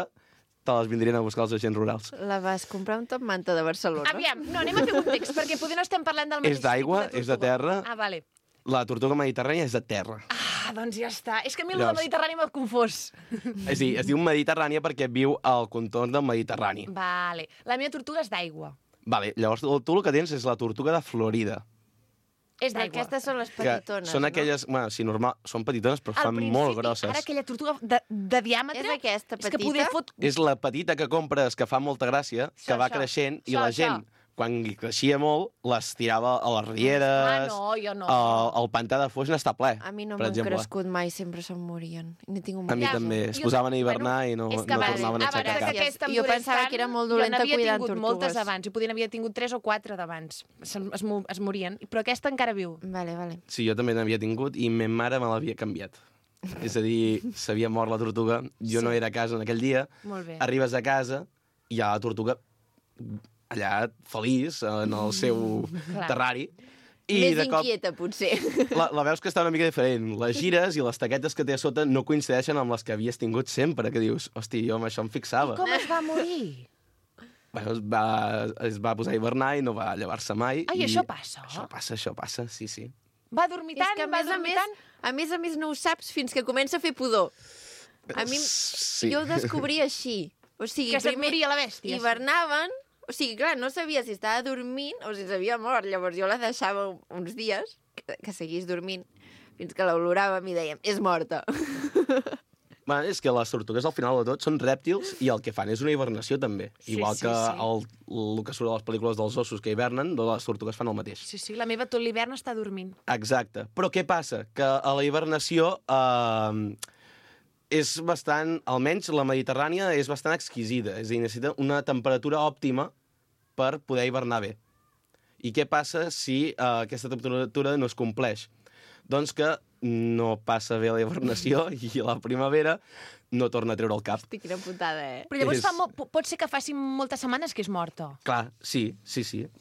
te les vindrien a buscar els agents rurals. La vas comprar un top manta de Barcelona? Aviam, no, anem a fer context, perquè poder no estem parlant del mateix És d'aigua, tipus és de terra. Ah, vale. La tortuga mediterrània és de terra. Ah, doncs ja està. És que a mi el Llavors- de Mediterrani m'ha confós. És a dir, es diu mediterrània perquè viu al contorn del Mediterrani. Vale. La meva tortuga és d'aigua. Vale, llavors tu el que tens és la tortuga de Florida. És Però d'aigua. aquestes són les Que petitones, són aquelles... Bueno, sí, normal, són petitones, però Al fan principi, molt grosses. Ara aquella tortuga de diàmetre... És aquesta És que petita? poder fot... És la petita que compres, que fa molta gràcia, que va creixent, i la gent, quan li creixia molt, les tirava a les rieres... Ah, no, jo no. El pantà de Foix n'està ple, A mi no per m'han exemple. crescut mai, sempre se'n morien. N'he tingut A mi Ja, també. jo- Es posaven a hivernar i no, és no que abans, tornaven a abans aixecar que cap. aquesta em Jo durés pensava tant, que era molt dolenta jo n'havia cuidant tingut moltes tortugues. abans. Jo podia n'havia tingut 3 o 4 d'abans. Es morien. Però aquesta encara viu. Vale, vale. Sí, jo també n'havia tingut i ma mare me l'havia canviat. És a dir, s'havia mort la tortuga, jo no era a casa en aquell dia, Molt bé. arribes a casa i hi ha la tortuga allà feliç en el seu Clar. terrari i Més de cop inquieta, potser. la veus que està una mica diferent. Les gires i les taquetes que té a sota no coincideixen amb les que havies tingut sempre, que dius, hosti, jo amb això em fixava. Com es va morir? Bueno, es va posar a hivernar i no va llevar-se mai. Ai, i això passa? Això passa, sí, sí. Va dormir tant, És que, va dormir tant... a més no ho saps fins que comença a fer pudor. A mi, Sí. jo ho descobria així. O sigui, Que se't moria la bèstia. hivernaven, o sigui, clar, no sabia si estava dormint o si s'havia mort. Llavors jo la deixava uns dies que seguís dormint fins que l'oloràvem i dèiem, és morta. Bueno, és que les tortugues, al final de tot, són rèptils i el que fan és una hivernació, també. Sí, Igual sí, que sí. el que surt a les pel·lícules dels ossos que hivernen, les tortugues fan el mateix. Sí, sí, la meva tot l'hivern està dormint. Exacte. Però què passa? Que a la hivernació és bastant... Almenys la mediterrània és bastant exquisida. És a dir, necessita una temperatura òptima per poder hivernar bé. I què passa si aquesta temperatura no es compleix? Doncs que no passa bé la hivernació i a la primavera no torna a treure el cap. Hosti, quina putada, eh? Però llavors És- pot ser que faci moltes setmanes que és morta. Clar, sí,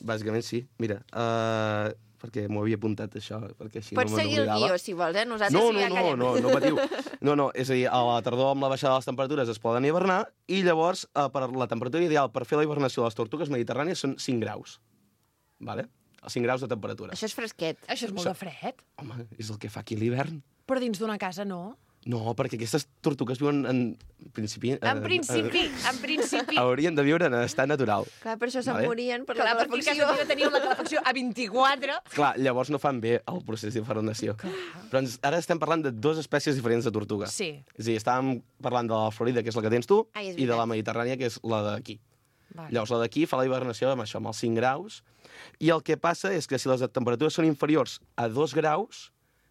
bàsicament sí. Mira, perquè m'ho havia apuntat això, perquè així Pots no me seguir el n'oblidava. guió, si vols, eh? Nosaltres No, ja callem. no patiu. No, és a dir, a la tardor amb la baixada de les temperatures es poden hivernar i llavors per la temperatura ideal per fer la hivernació de les tortugues mediterrànies són 5 graus. Vale? 5 graus de temperatura. Això és fresquet. Això és molt de fred. Home, és el que fa aquí l'hivern. Però dins d'una casa no. No, perquè aquestes tortugues viuen en principi... En principi. Haurien de viure en estat natural. Clar, per això se'n Vale. morien per Clar, la perquè a calefacció. casa meva teníem la calefacció a 24. Clar, llavors no fan bé el procés d'hivernació. Però ara estem parlant de dues espècies diferents de tortuga. Sí. És a dir, estàvem parlant de la Florida, que és la que tens tu, Ai, és i de la veritat. Mediterrània, que és la d'aquí. Vale. Llavors, la d'aquí fa la hivernació amb això, amb els 5 graus, i el que passa és que si les temperatures són inferiors a 2 graus,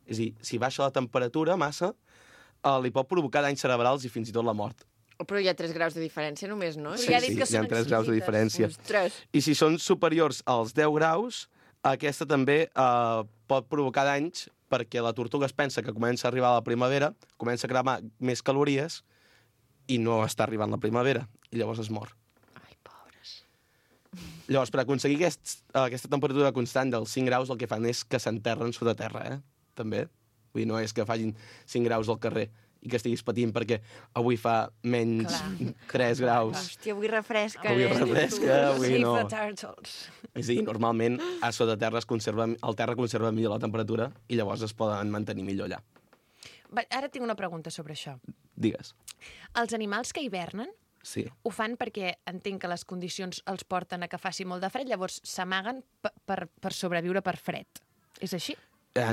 és a dir, si baixa la temperatura massa, li pot provocar danys cerebrals i fins i tot la mort. Però hi ha 3 graus de diferència només, no? Però ja ha dit que hi ha són 3 graus de exquisites. diferència. Ostres. I si són superiors als 10 graus, aquesta també pot provocar danys perquè la tortuga es pensa que comença a arribar la primavera, comença a cremar més calories i no està arribant la primavera, i llavors es mor. Ai, pobres. Llavors, per aconseguir aquesta temperatura constant dels 5 graus, el que fan és que s'enterren sota terra, també. Vull dir, no és que facin 5 graus al carrer i que estiguis patint perquè avui fa menys Clar. 3 graus. Hòstia, avui refresca. Avui eh? refresca, avui Save no. the turtles. És a dir, normalment a sota terra el terra conserva millor la temperatura i llavors es poden mantenir millor allà. Va, ara tinc una pregunta sobre això. Digues. Els animals que hivernen Sí. ho fan perquè entenc que les condicions els porten a que faci molt de fred, llavors s'amaguen per sobreviure per fred. És així?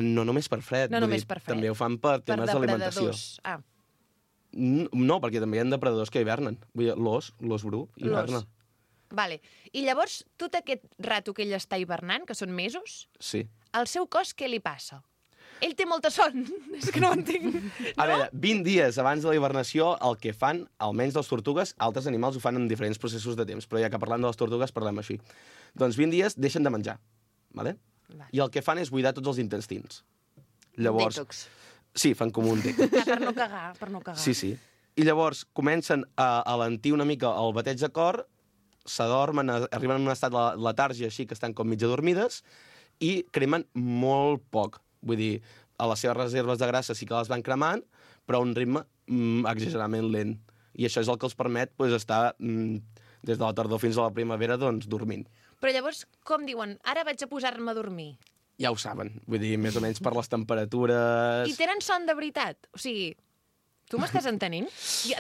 No només per fred. No vull només dir, per fred. També ho fan per temes d'alimentació. depredadors. Ah, No, perquè també hi ha depredadors que hivernen. Vull dir, l'os bru hiverna. vale. I llavors, tot aquest rato que ell està hivernant, que són mesos, Sí. al seu cos què li passa? Ell té molta son. És que no ho entenc. A veure, 20 dies abans de la hivernació, el que fan, almenys les tortugues, altres animals ho fan en diferents processos de temps, però ja que parlant de les tortugues parlem així. Doncs 20 dies deixen de menjar, ¿vale? Vale. I el que fan és buidar tots els intestins. Llavors, Detox. sí, fan com un detox. Per no cagar, per no cagar. Sí, sí. I llavors comencen a alentir una mica el bateig de cor, s'adormen, arriben en un estat de letàrgia així, que estan com mitja dormides, i cremen molt poc. Vull dir, a les seves reserves de grassa sí que les van cremant, però a un ritme exageradament lent. I això és el que els permet estar des de la tardor fins a la primavera dormint. Però llavors, com diuen, ara vaig a posar-me a dormir? Ja ho saben, vull dir, més o menys per les temperatures... I tenen son de veritat? O sigui, tu m'estàs entenent?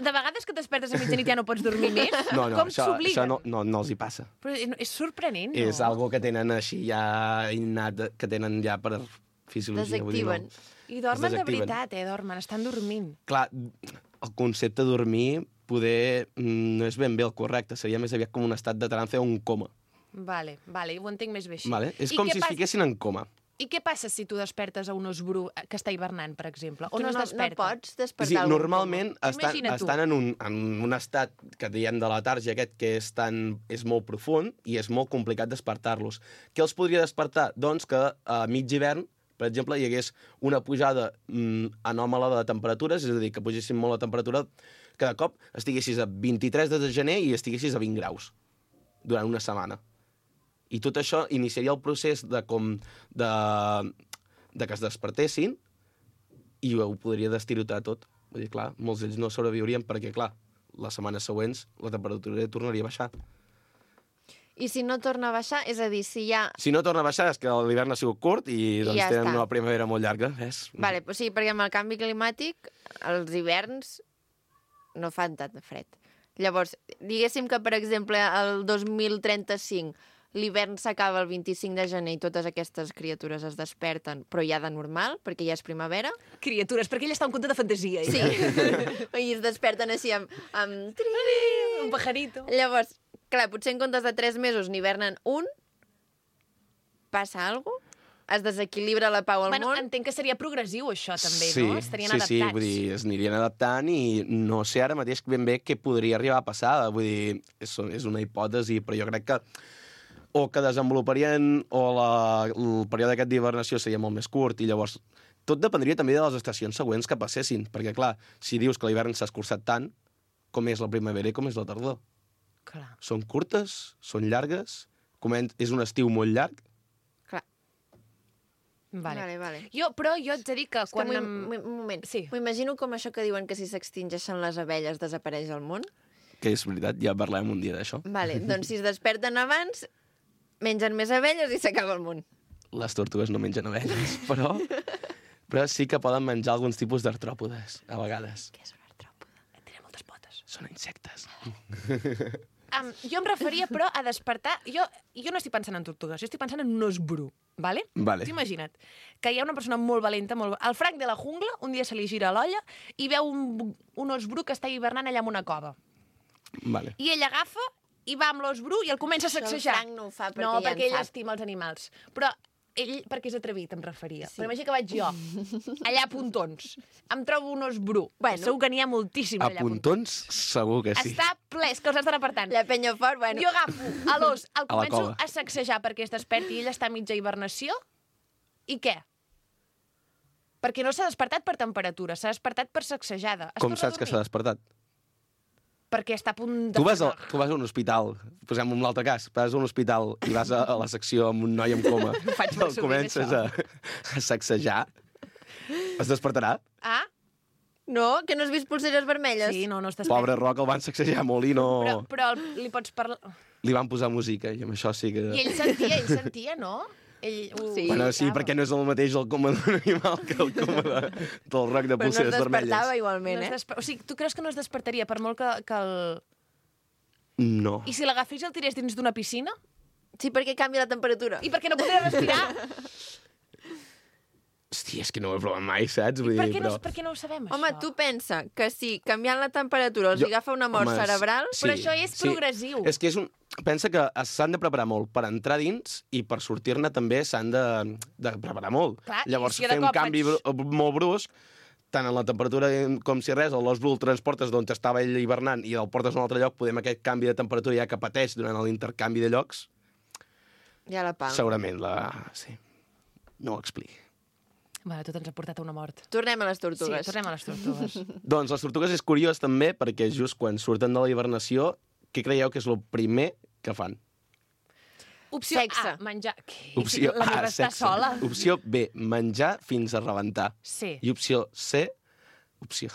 De vegades que despertes a mitjanit ja no pots dormir més? No, Com això s'obliguen? no els hi passa. Però és sorprenent, no? És algo que tenen així ja innat, que tenen ja per fisiologia. Desactiven. I dormen de desactiven. veritat, dormen, estan dormint. Clar, el concepte de dormir poder no és ben bé el correcte, seria més aviat com un estat de trance o un coma. Vale, ho entenc més bé així. Vale? És I com què si es fiquessin en coma. I què passa si tu despertes a un os bru que està hivernant, per exemple? O Tu no es no desperta? pots despertar Sí, algú. normalment Imagina't tu. estan en un estat que diem de letàrgia aquest que és molt profund i és molt complicat despertar-los. Què els podria despertar? Doncs que a mig hivern, per exemple, hi hagués una pujada anòmala de temperatures, és a dir, que pugessin molt la temperatura, que de cop estiguessis a 23 de gener i estiguessis a 20 graus durant una setmana. I tot això iniciaria el procés de que es despertessin i ho podria destirotar tot. Vull dir, clar, molts d'ells no sobreviurien perquè, clar, les setmanes següents la temperatura tornaria a baixar. I si no torna a baixar, és a dir, si ja... Si no torna a baixar és que l'hivern ha sigut curt i doncs ja tenen està. una primavera molt llarga, ves? Vale, pues sí, perquè amb el canvi climàtic els hiverns no fan tant de fred. Llavors, diguéssim que, per exemple, el 2035 l'hivern s'acaba el 25 de gener i totes aquestes criatures es desperten, però ja de normal, perquè ja és primavera. Criatures, perquè ell està en conte de fantasia. Sí. I es desperten així amb... Un pajarito. Llavors, clar, potser en comptes de 3 mesos n'hivernen un, passa alguna cosa? Es desequilibra la pau al món? Entenc que seria progressiu, això, també, sí, no? Estarien sí, adaptats. Sí, vull dir, es anirien adaptant i no sé ara mateix ben bé què podria arribar a passar. Vull dir, és una hipòtesi, però jo crec que o que desenvoluparien o el període aquest d'hibernació seria molt més curt i llavors tot dependria també de les estacions següents que passessin, perquè clar, si dius que l'hivern s'ha escurçat tant, com és la primavera i com és la tardor? Clar. Són curtes? Són llargues? És un estiu molt llarg? Clar. Vale. Però jo et he de dir que quan... Un moment. Sí. M'ho imagino com això que diuen que si s'extingeixen les abelles desapareix el món. Que és veritat, ja parlem un dia d'això. Vale, doncs si es desperten abans, mengen més abelles i s'acaba el món. Les tortugues no mengen abelles, però sí que poden menjar alguns tipus d'artròpodes, a vegades. Què és un artròpode? Tenen moltes potes. Són insectes. Jo em referia, però, a despertar... Jo no estic pensant en tortugues, jo estic pensant en un os bru, vale? Vale. T'ho imagina't, que hi ha una persona molt valenta, el Frank de la jungla, un dia se li gira l'olla i veu un os bru que està hivernant allà en una cova. Vale. I ell agafa i va amb l'os bru i el comença a Això el sacsejar. Frank no ho fa perquè no, ja en perquè ell sap. estima els animals. Però ell, perquè és atrevit, em referia. Sí. Però imagina que vaig jo, allà a Pontons. Em trobo un os bru. Bueno. Segur que n'hi ha moltíssims A allà a Pontons, segur que sí. Està ple, és que els has d'anar apartant. La penya fort, bueno. Jo agafo a l'os, el començo cova. a sacsejar perquè es desperti i ell està a mitja hibernació. I què? Perquè no s'ha despertat per temperatura, s'ha despertat per sacsejada. Es Com torna a saps que dormir. s'ha despertat? Perquè està a punt de... Tu vas a un hospital, posem un altre cas, vas a un hospital i vas a la secció amb un noi en coma. faig i molt el sovint, comences a sacsejar. Es despertarà? Ah? No, que no has vist pulseres vermelles? Sí, no es desperta. Pobre Roc, el van sacsejar molt i no... Però li pots parlar... Li van posar música i amb això sí que... I ell sentia, no? Ell ho Sí. Bueno, sí, ubicava. perquè no és el mateix el coma d'un animal que el coma del Roc de Però no es pulseres despertava vermelles. igualment, No es eh? O sigui, tu creus que no es despertaria per molt que el... No. I si l'agafés i el tirés dins d'una piscina? Sí, perquè canvia la temperatura. I per què no podria respirar? Hòstia, és que no ho he provat mai, saps? Vull Per dir, què no ho sabem, Home, això? tu pensa que si canviant la temperatura els agafa una mort Home, cerebral... Però això és progressiu. És que pensa que s'han de preparar molt per entrar dins i per sortir-ne també s'han de preparar molt. Clar, i Llavors, si de fer un cop canvi molt brusc, tant en la temperatura com si res, l'os bru el transportes d'on estava ell hivernant i el portes a un altre lloc, podem aquest canvi de temperatura ja que pateix durant l'intercanvi de llocs, Ja la pal. segurament sí. No ho expliqui. Vale, tot ens ha portat a una mort. Tornem a les Sí, tortugues. tornem a les tortugues. Doncs les tortugues és curiós també perquè just quan surten de la hibernació, què creieu que és el primer que fan? Opció Sexe. A, menjar... Què? Opció La A, meva està sexe. sola. Opció B, menjar fins a rebentar. Sí. I opció C... Opció...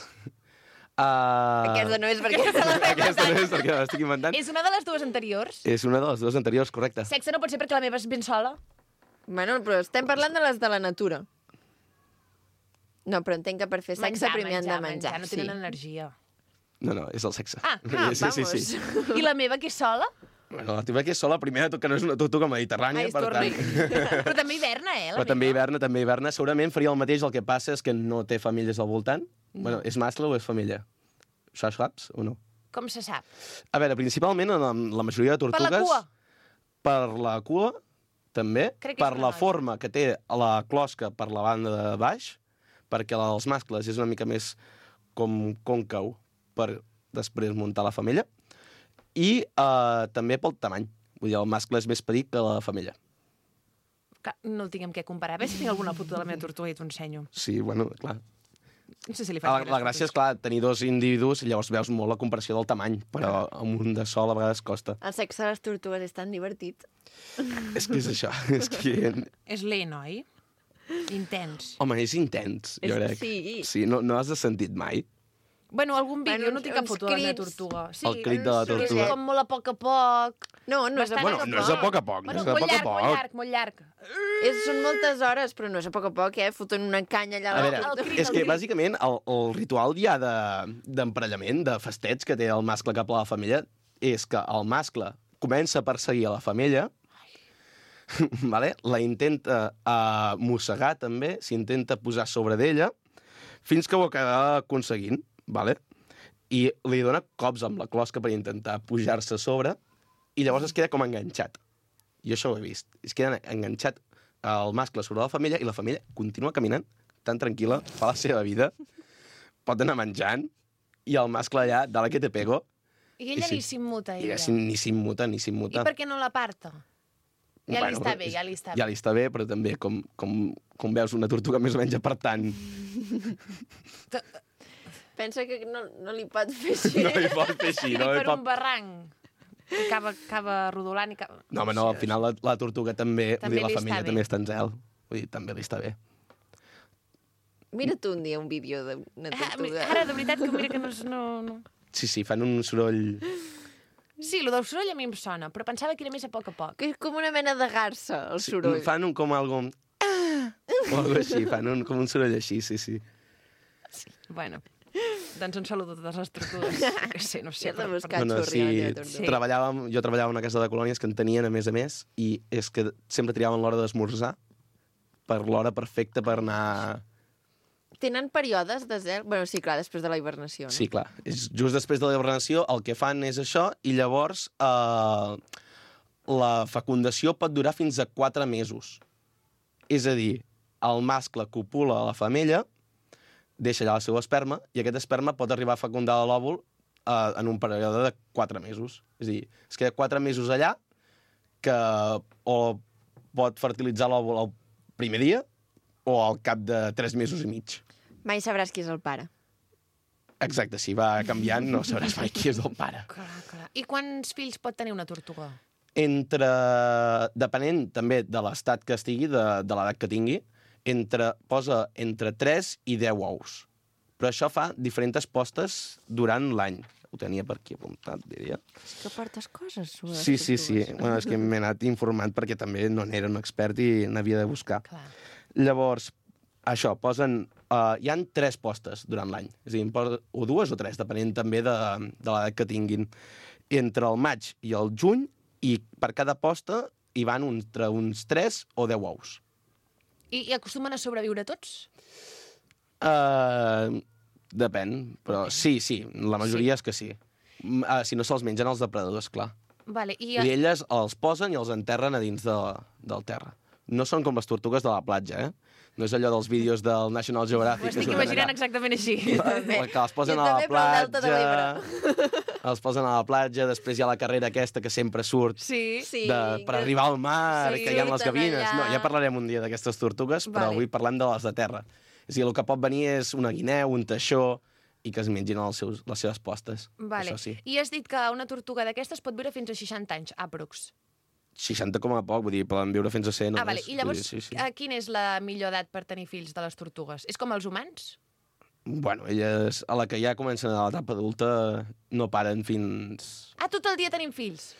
Aquesta no és perquè se la Aquesta no és perquè l'estic inventant. És una de les dues anteriors. És una de les dues anteriors, correcte. Sexe no pot ser perquè la meva és ben sola. Bueno, però estem parlant de les de la natura. No, però entenc que per fer sexe primer han de menjar. No tenen energia. No, és el sexe. Vamos. I la meva, que és sola? Bueno, la teva que és sola, primer de tot que no és una tortuga mediterrània, Ai, per tant... Però també hiverna, la Però meva. també hiverna. Segurament faria el mateix, el que passa és que no té famílies al voltant. Bueno, és mascle o és femella? Això saps o no? Com se sap? A veure, principalment en la majoria de Per tortugues... la cua? Per la cua, també. Crec que és Per una la noia. forma que té la closca per la banda de baix, perquè la dels mascles és una mica més com còncau per després muntar la femella. I també pel tamany. Vull dir, el mascle és més petit que la femella. Que no el tinc amb què comparar. A veure si tinc alguna foto de la meva tortuga i t'ho ensenyo. Sí, bueno, clar. No sé si li faig La gràcia és, clar, tenir dos individus i llavors veus molt la comparació del tamany, però amb un de sol a vegades costa. El sexe de les tortugues és tan divertit. És que és això. És que... És lent, oi? Intens. Home, és intens, jo crec. Sí. Sí, no has sentit mai? Bueno, algun vídeo, Bueno, no tinc cap uns foto de la meva crits. tortuga. Sí, El crit de la que és tortuga. com molt a poc. No és a Bastant poc Bueno, no és a poc a poc, no Bueno, és a molt poc a llarg, poc. molt llarg, molt llarg. Són moltes hores, però no és a poc, foten una canya allà. A veure, el crit, és el que crit. bàsicament el ritual ja d'emparellament, de festeig que té el mascle cap a la femella, és que el mascle comença a perseguir a la femella, vale? La intenta mossegar també, s'intenta posar sobre d'ella, fins que ho acaba aconseguint, vale? I li dona cops amb la closca per intentar pujar-se a sobre, i llavors es queda com enganxat. Jo això ho he vist. Es queda enganxat el mascle sobre la femella i la femella continua caminant tan tranquil·la, fa la seva vida, pot anar menjant, i el mascle allà, dale que te pego, I ella I sí. ni s'immuta, i ella. ni s'immuta, ni I s'immuta. per què no l'aparta? Ja li està bé, ja li està bé. Ja li està bé, però també, com veus, una tortuga més o menys apartant. Pensa que no li pot fer així. No li pot fer així. I No, li per un pot... barranc. I acaba rodolant i acaba... No, home, no, al final la tortuga també, També vull dir, la li està femella bé. també està en zel. Vull dir, també li està bé. Mira tu un dia un vídeo d'una tortuga. Ara, de veritat, que mira que no... Sí, fan un soroll... Sí, el del soroll a mi em sona, però pensava que era més a poc. Que és com una mena de garça, el soroll. Fan com algo... O algo així, fan com un soroll així, sí. Bueno, doncs un saludo a totes les tortugues. Que sé, no sé. Has de buscar No, xurri a la teva Sí. tortuga. Jo treballava en una casa de colònies que en tenien, a més, i és que sempre triaven l'hora d'esmorzar per l'hora perfecta per anar... Tenen períodes de zel? Bueno, sí, clar, després de la hibernació, no? Sí, clar. És just després de la hibernació el que fan és això, i llavors la fecundació pot durar fins a 4 mesos. És a dir, el mascle copula a la femella, deixa allà el seu esperma, i aquest esperma pot arribar a fecundar l'òvul en un període de 4 mesos. És a dir, es queda 4 mesos allà, que o pot fertilitzar l'òvul el primer dia o al cap de 3 mesos i mig. Mai sabràs qui és el pare. Exacte, si va canviant no sabràs mai qui és el pare. Clar. I quants fills pot tenir una tortuga? Depenent també de l'estat que estigui, de l'edat que tingui, posa entre 3 i 10 ous. Però això fa diferents postes durant l'any. Ho tenia per aquí apuntat, diria. És que portes coses sobre les Sí. tortugues. Bueno, és que m'he anat informant perquè també no n'era un expert i n'havia de buscar. Clar. Llavors, això, posen... hi han 3 postes durant l'any. És a dir, o 2 o 3, depenent també de l'edat que tinguin. Entre el maig i el juny, i per cada posta hi van entre uns 3 o 10 ous. I acostumen a sobreviure tots? Depèn, però sí, la majoria és que sí. Si no se'ls mengen els depredadors, clar. Vale, i... I elles els posen i els enterren a dins del terra. No són com les tortugues de la platja, No és allò dels vídeos del National Geographic. Ho estic que surten imaginant allà. exactament així. Que els posen Jo a la també, però al Delta de platja. Els posen a la platja, després hi ha la carrera aquesta que sempre surt Sí. Sí, per arribar al mar, Sí, que hi ha les surten gavines. allà. No, ja parlarem un dia d'aquestes tortugues, però Vale. avui parlem de les de terra. És a dir, el que pot venir és una guineu, un teixó, i que es mengin les seves postes. Vale. Això sí. I has dit que una tortuga d'aquestes pot viure fins a 60 anys, aprox. 60 com a poc, vull dir, poden viure fins a 100 Vale. només. I llavors, Vull dir, sí. quina és la millor edat per tenir fills de les tortugues? És com els humans? Bueno, elles, a la que ja comencen a l'etapa adulta, no paren fins... Ah, tot el dia tenim fills?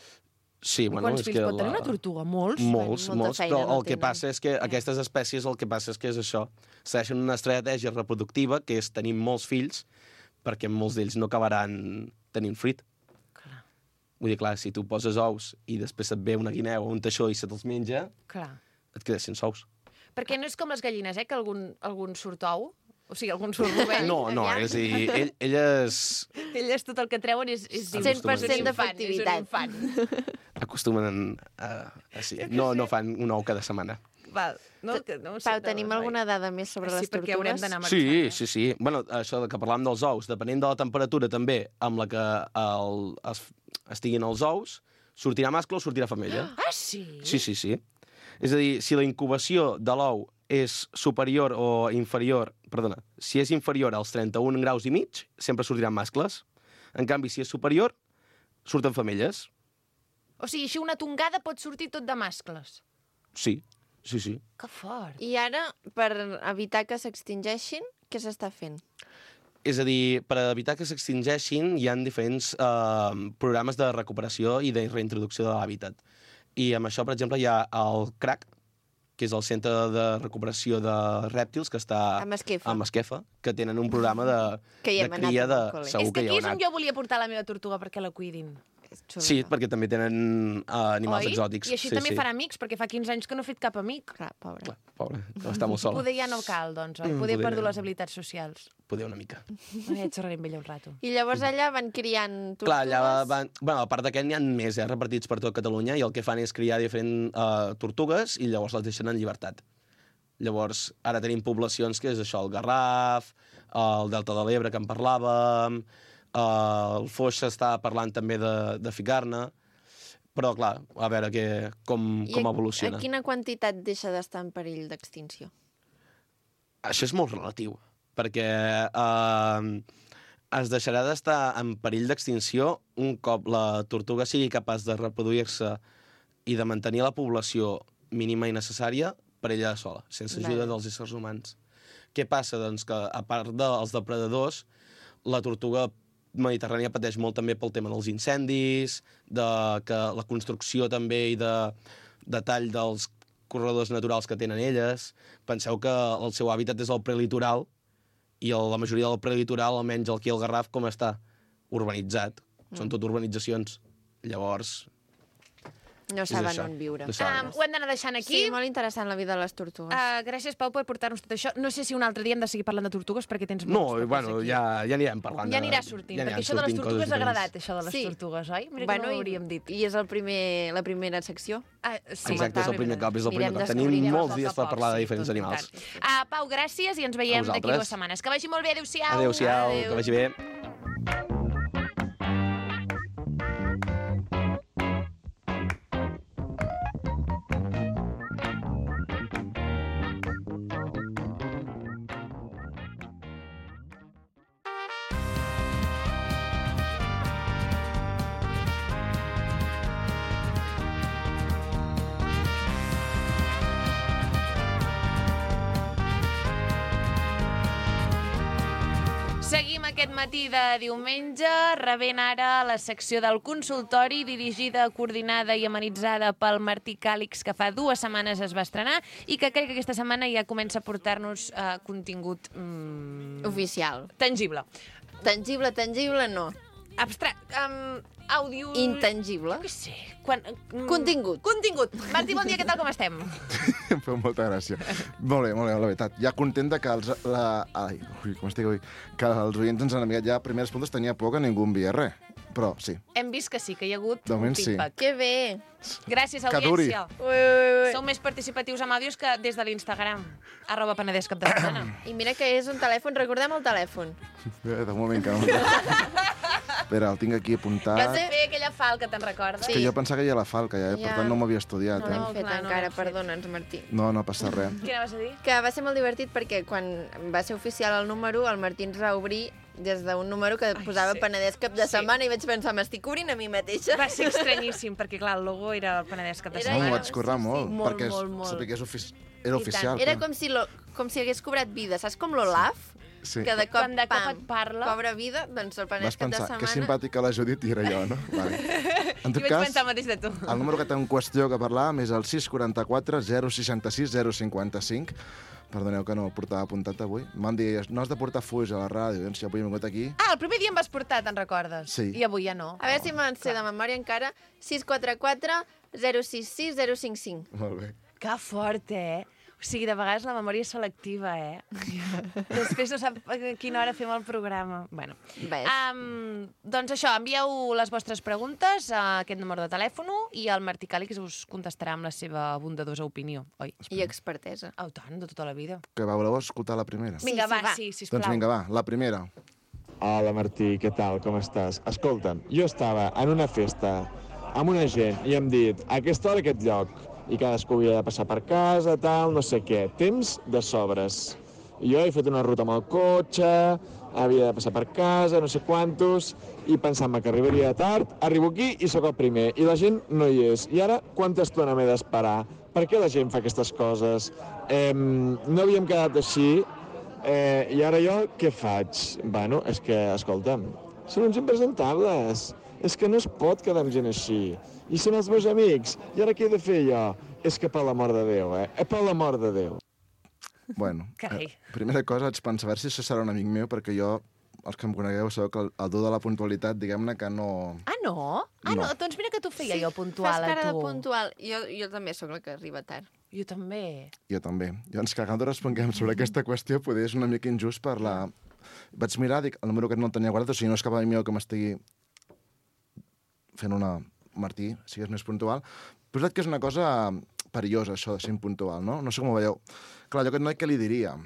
Sí, bueno, Quants és fills que pot tenir una tortuga? Molts? Molts, Molta molts, feina però no el que tenen. passa és que aquestes espècies el que passa és que és això. Segueixen una estratègia reproductiva, que és tenir molts fills, perquè molts d'ells no acabaran tenint fruit. Clar, Vull dir, clar, si tu poses ous i després et ve una guineu o un teixó i se te'ls menja, clar. et quedes sense ous. Perquè no és com les gallines, que algun surt ou? O sigui, algun surt rovell? No, és a dir, elles Elles tot el que treuen és 100% d'efectivitat. acostumen sí, no fan un ou cada setmana. Val. No, no Pau, tenim alguna dada més sobre les Sí, perquè haurem tortugues? d'anar marxant. Sí. Bueno, això que parlàvem dels ous, depenent de la temperatura també amb la que estiguin els ous, sortirà mascle o sortirà femella. Ah, sí? Sí. És a dir, si la incubació de l'ou és superior o inferior... Perdona, si és inferior als 31 graus i mig, sempre sortiran mascles. En canvi, si és superior, surten femelles. O sigui, així una tongada pot sortir tot de mascles. Sí. Que fort. I ara, per evitar que s'extingeixin, què s'està fent? És a dir, per evitar que s'extingeixin, hi ha diferents programes de recuperació i de reintroducció de l'hàbitat. I amb això, per exemple, hi ha el CRAC, que és el Centre de Recuperació de Rèptils, que està A Masquefa. a Masquefa, que tenen un programa de hem anat cria amb de... el col·le. Segur És que hi aquí heu és on anat. jo volia portar la meva tortuga perquè la cuidin. Sí, perquè també tenen animals Oi? exòtics. I així sí, també farà amics, perquè fa 15 anys que no he fet cap amic. Clar, pobre. Clar, pobre, està molt sola. Poder ja no cal, doncs, oi? Poder he poder perdut ja. les habilitats socials. Poder una mica. Ja xerraré amb ella un rato. I llavors allà van criant tortugues? Clar, allà van... Bueno, a part d'aquest n'hi ha més, repartits per tot Catalunya, i el que fan és criar diferents tortugues i llavors les deixen en llibertat. Llavors, ara tenim poblacions que és això, el Garraf, el Delta de l'Ebre, que en parlàvem, el Foix s'està parlant també de ficar-ne, però, clar, a veure com evoluciona. A quina quantitat deixa d'estar en perill d'extinció? Això és molt relatiu, perquè es deixarà d'estar en perill d'extinció un cop la tortuga sigui capaç de reproduir-se i de mantenir la població mínima i necessària per ella sola, sense ajuda dels éssers humans. Què passa? Doncs que, a part dels depredadors, la tortuga mediterrània pateix molt també pel tema dels incendis, que la construcció també i de tall dels corredors naturals que tenen elles. Penseu que el seu hàbitat és el prelitoral i la majoria del prelitoral, almenys aquí al Garraf, com està? Urbanitzat. Són tot urbanitzacions. Llavors... No saben on viure. Ho hem d'anar deixant aquí. Sí, molt interessant la vida de les tortugues. Gràcies, Pau, per portar-nos tot això. No sé si un altre dia hem de seguir parlant de tortugues, perquè tens No, molts bueno, aquí. ja anirem parlant. Ja anirà sortint, perquè això de les tortugues ha agradat, això de les tortugues, oi? Mira que no ho hauríem dit. I és la primera secció. Sí, exacte, és el primer cop, Anirem Tenim descobrint molts dies per parlar de diferents animals. Pau, gràcies i ens veiem d'aquí 2 setmanes. Que vagi molt bé, adéu-siau. Adéu-siau, que vagi bé. Seguim aquest matí de diumenge, rebent ara la secció del consultori, dirigida, coordinada i amenitzada pel Martí Càlix, que fa 2 setmanes es va estrenar i que crec que aquesta setmana ja comença a portar-nos contingut... Oficial. Tangible. Tangible no. Àudio... Intangible. Què sé. Contingut. Martí, bon dia, què tal, com estem? Em feu molta gràcia. Molt bé, la veritat. Ja content que els oients ens han enviat ja primeres puntes, tenia por que ningú enviés res. Però sí. Hem vist que sí, que hi ha hagut De moment un feedback. Que bé. Gràcies, Que duri. audiència. Sou més participatius amb àudios que des de l'Instagram, @penedès_cap-de-setmana. I mira que és un telèfon, recordem el telèfon. De moment que no. Espera, el tinc aquí apuntat. Vas fer aquella falca, te'n recordes? És que jo pensava que ja la falca, per tant no m'havia estudiat. No l'hem fet clar, no encara, l'hem fet. perdona'ns, Martí. No passa res. Què anaves a dir? Que va ser molt divertit perquè quan va ser oficial el número, el Martí ens va obrir des d'un número que posava Penedès cap de setmana i vaig pensar, m'estic obrint a mi mateixa. Va ser estranyíssim, perquè clar, el logo era el Penedès cap de Era No, m'ho setmana. vaig currar molt, Molt, perquè molt. sabia que era oficial. Era com si hagués cobrat vida. Saps com l'Olaf? Sí. que de cop, Quan de cop et parla. cobra vida, doncs el Penedès Vas cap de pensar, setmana... que simpàtica la Judit i era jo, no? Vale. En I tot vaig cas, pensar el mateix de tu. el número que té en qüestió que parlàvem és el 644 066 055. Perdoneu que no el portava apuntat avui. M'han dit, no has de portar fuix a la ràdio, doncs ja avui he vingut aquí. Ah, el primer dia em vas portar, te'n recordes? Sí. I avui ja no. A veure si me'n sé de memòria encara. 644 066 055. Molt bé. Que fort, eh? O sigui, de vegades la memòria és selectiva, eh? Després no sap a quina hora fem el programa. Bueno. Ves. Doncs això, envieu les vostres preguntes a aquest número de telèfon i el Martí Càlix us contestarà amb la seva bondadosa opinió, oi? I expertesa. Oh, tant, de tota la vida. Que voleu escoltar la primera? Vinga, sí, va, va. sí, sisplau. Doncs vinga, va, la primera. Hola Martí, què tal, com estàs? Escolta'm, jo estava en una festa amb una gent i hem dit a aquesta hora aquest lloc i cadascú havia de passar per casa, tal, no sé què. Temps de sobres. Jo he fet una ruta amb el cotxe, havia de passar per casa, no sé quantos, i pensant-me que arribaria tard, arribo aquí i sóc el primer, i la gent no hi és. I ara, quanta estona m'he d'esperar? Per què la gent fa aquestes coses? No havíem quedat així, i ara jo què faig? Bueno, és que, escolta'm, són uns impresentables. És que no es pot quedar amb gent així. I són els meus amics. I ara què he de fer jo? És que per l'amor de Déu, per l'amor de Déu. Bueno, Carai. primera cosa, vaig pensar, a veure si això serà un amic meu, perquè jo, els que em conegueu, sabeu que el dur de la puntualitat, diguem-ne que no... Ah, no? Ah, no? No. Doncs mira que t'ho feia jo puntual Fas cara a de tu. puntual. Jo també sóc la que arriba tard. Jo també. Jo també. Llavors, que quan responguem sobre aquesta qüestió, poder és una mica injust per la... Vaig mirar, dic, el número que no el tenia guardat, o sigui, no és cap amic meu que m'estigui fent una... Martí, sigues més puntual. Però és veritat que és una cosa perillosa, això de ser impuntual, no? No sé com ho veieu. Clar, jo aquest noi què li diria?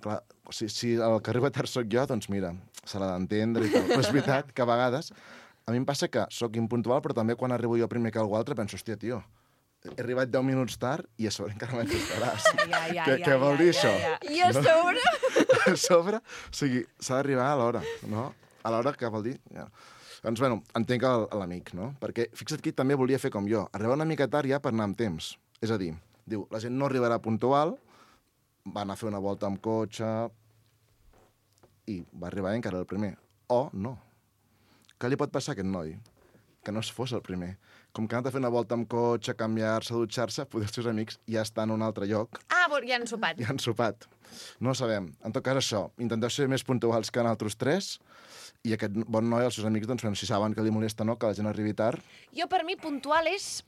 Clar, si el que arriba tard sóc jo, doncs mira, se l'ha d'entendre i tal. Però és veritat que a vegades a mi em passa que sóc impuntual, però també quan arribo jo primer que algú altre penso, hòstia, tio, he arribat 10 minuts tard i a sobre encara m'haig d'esperar. Què vol dir això? I a sobre... A sobre, o sigui, s'ha d'arribar a l'hora, no? A l'hora que vol dir... Ja. Doncs, bueno, entenc l'amic, no? Perquè, fixa't que també volia fer com jo, arribar una mica tard ja per anar amb temps. És a dir, diu, la gent no arribarà puntual, va anar a fer una volta amb cotxe i va arribar encara el primer. O no. Què li pot passar a aquest noi? Que no es fos el primer. Com que ha anat a fer una volta amb cotxe, canviar-se, dutxar-se, poder els seus amics ja estan en un altre lloc. Ah, ja han sopat. Ja han sopat. No ho sabem. En tot cas, això, intenteu ser més puntuals que en altres tres, i aquest bon noi, els seus amics, doncs, si saben que li molesta no, que la gent arribi tard... Jo, per mi, puntual és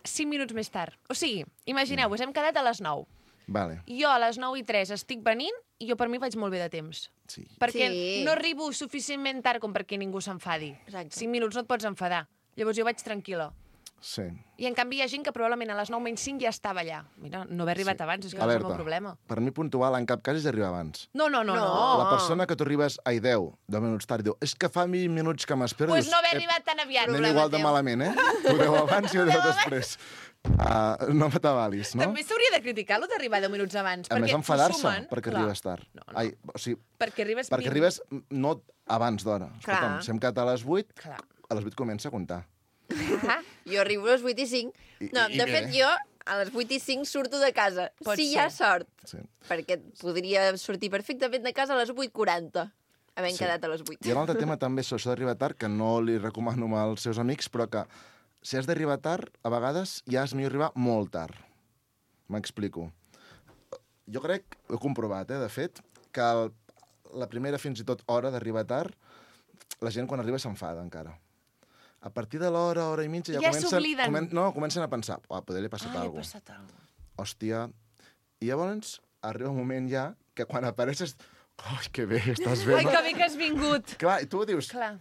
5 minuts més tard. O sigui, imagineu-vos, hem quedat a les 9. Vale. Jo a les 9:03 estic venint i jo per mi vaig molt bé de temps. Sí. Perquè Sí. no arribo suficientment tard com perquè ningú s'enfadi. Exacte. 5 minuts no et pots enfadar. Llavors jo vaig tranquil·la. Sí. I en canvi hi ha gent que probablement a les 9:05 ja estava allà. Mira, no haver arribat abans, és que no és el meu problema. Per mi puntual en cap cas és arribar abans. No. La persona que tu arribes a 10 minuts tard i diu és que fa 20 minuts que m'espero... Pues no haver arribat tan aviat. Anem igual de malament, Ho deu abans i ho deu després. No m'atabalis, no? També s'hauria de criticar lo d'arribar 10 minuts abans. A més, perquè enfadar-se s'ho sumen. perquè Clar. arribes tard. No. Ai, o sigui, Perquè arribes... perquè arribes no abans d'hora. Escolta'm, Clar. si hem quedat a les 8, Clar. a les 8 comença a comptar. Jo arribo a les 8:05. No, I de bé. fet, jo a les 8:05 surto de casa. Pot si hi ser. ha sort. Sí. Perquè podria sortir perfectament de casa a les 8:40, havent quedat a les 8. Hi ha un altre tema també, això d'arribar tard, que no li recomano als seus amics, però que si has d'arribar tard, a vegades ja és millor arribar molt tard. M'explico. Jo crec, ho he comprovat, de fet, que la primera fins i tot hora d'arribar tard, la gent quan arriba s'enfada encara. A partir de l'hora, hora i mitja, Ja s'obliden. comencen a pensar, poder li ha passat Li ha alguna cosa. passat alguna cosa. Hòstia. I llavors arriba un moment ja que quan apareixes... Ai, que bé, estàs bé. Ai, no? que bé que has vingut. Clar, i tu dius, Clar.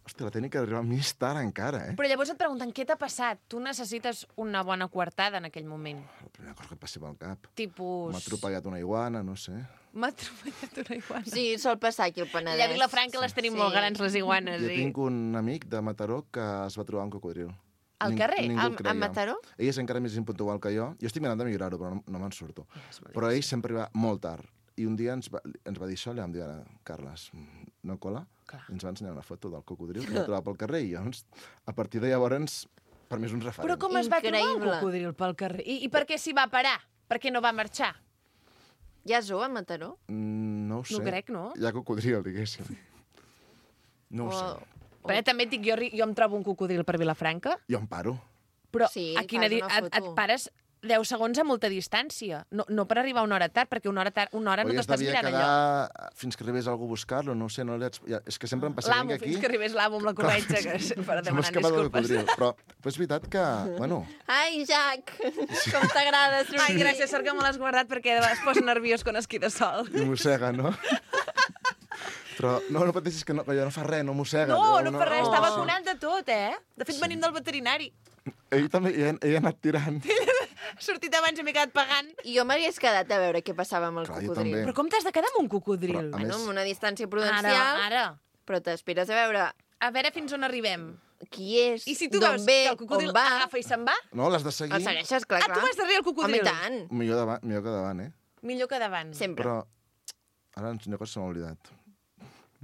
hòstia, la tècnica d'arribar més tard encara, Però llavors et pregunten què t'ha passat. Tu necessites una bona coartada en aquell moment. La primera cosa que et passi pel cap. Tipus... M'ha atropellat una iguana, no sé. M'ha atropellat una iguana. Sí, sol passar aquí al Penedès. Allà a Vilafranca les tenim molt grans, les iguanes. Jo Sí. tinc un amic de Mataró que es va trobar un cocodril. Al carrer? Ningú el A creia. Mataró? Ell és encara més impuntual que jo. Jo estic mirant de millorar-ho, però no me'n surto. Però ell sempre arriba molt tard. I un dia ens va dir això, li vam dir, ara, Carles, no cola? Clar. I ens va ensenyar una foto del cocodril que va trobar pel carrer i llavors, a partir de llavors, per mi és un referent. Però com es va trobar el Increïble. cocodril pel carrer? I per què s'hi va parar? Per què no va marxar? Hi ha zoo a Mataró? No ho sé. No crec, no? Hi ha cocodril, diguéssim. No ho sé. Però també et dic, jo em trobo un cocodril per Vilafranca, Jo em paro. però Sí, a quina fas una et foto. pares 10 segons a molta distància. No per arribar una hora tard, perquè una hora no t'estàs mirant allò. quedar fins que arribés algú a buscar-lo, no ho sé, no li haig... És que sempre em passa L'amo, aquí... fins que arribés l'amo amb la corretja, per Se m'ha demanar escapat el disculpes. cocodril. Però és veritat que, bueno, Ai, Jack, com t'agrada sortir. Ai, gràcies, sort que me l'has guardat perquè es posa nerviós quan es queda sol. i mossega, no? Però no pateixis que no, allò no fa res, no mossega. No fa res, està vacunant de tot, eh? De fet, venim del veterinari. Ell també hi ha anat tirant. Ha sortit abans i m'he quedat pagant. I jo m'hagués quedat a veure què passava amb el Clar, jo cocodril. també. Però com t'has de quedar amb un cocodril? Però, a Bueno, més- amb una distància prudencial, Ara. però t'espires a veure A veure fins on arribem. qui és, I si tu d'on veus ve, que el cocodril on va. agafa i se'n va, No, l'has de seguir. El segueixes, clar, tu vas darrere el Home, cocodril. i tant. Millor que davant, eh? Millor que davant. Sempre. Però ara una cosa se m'ha oblidat.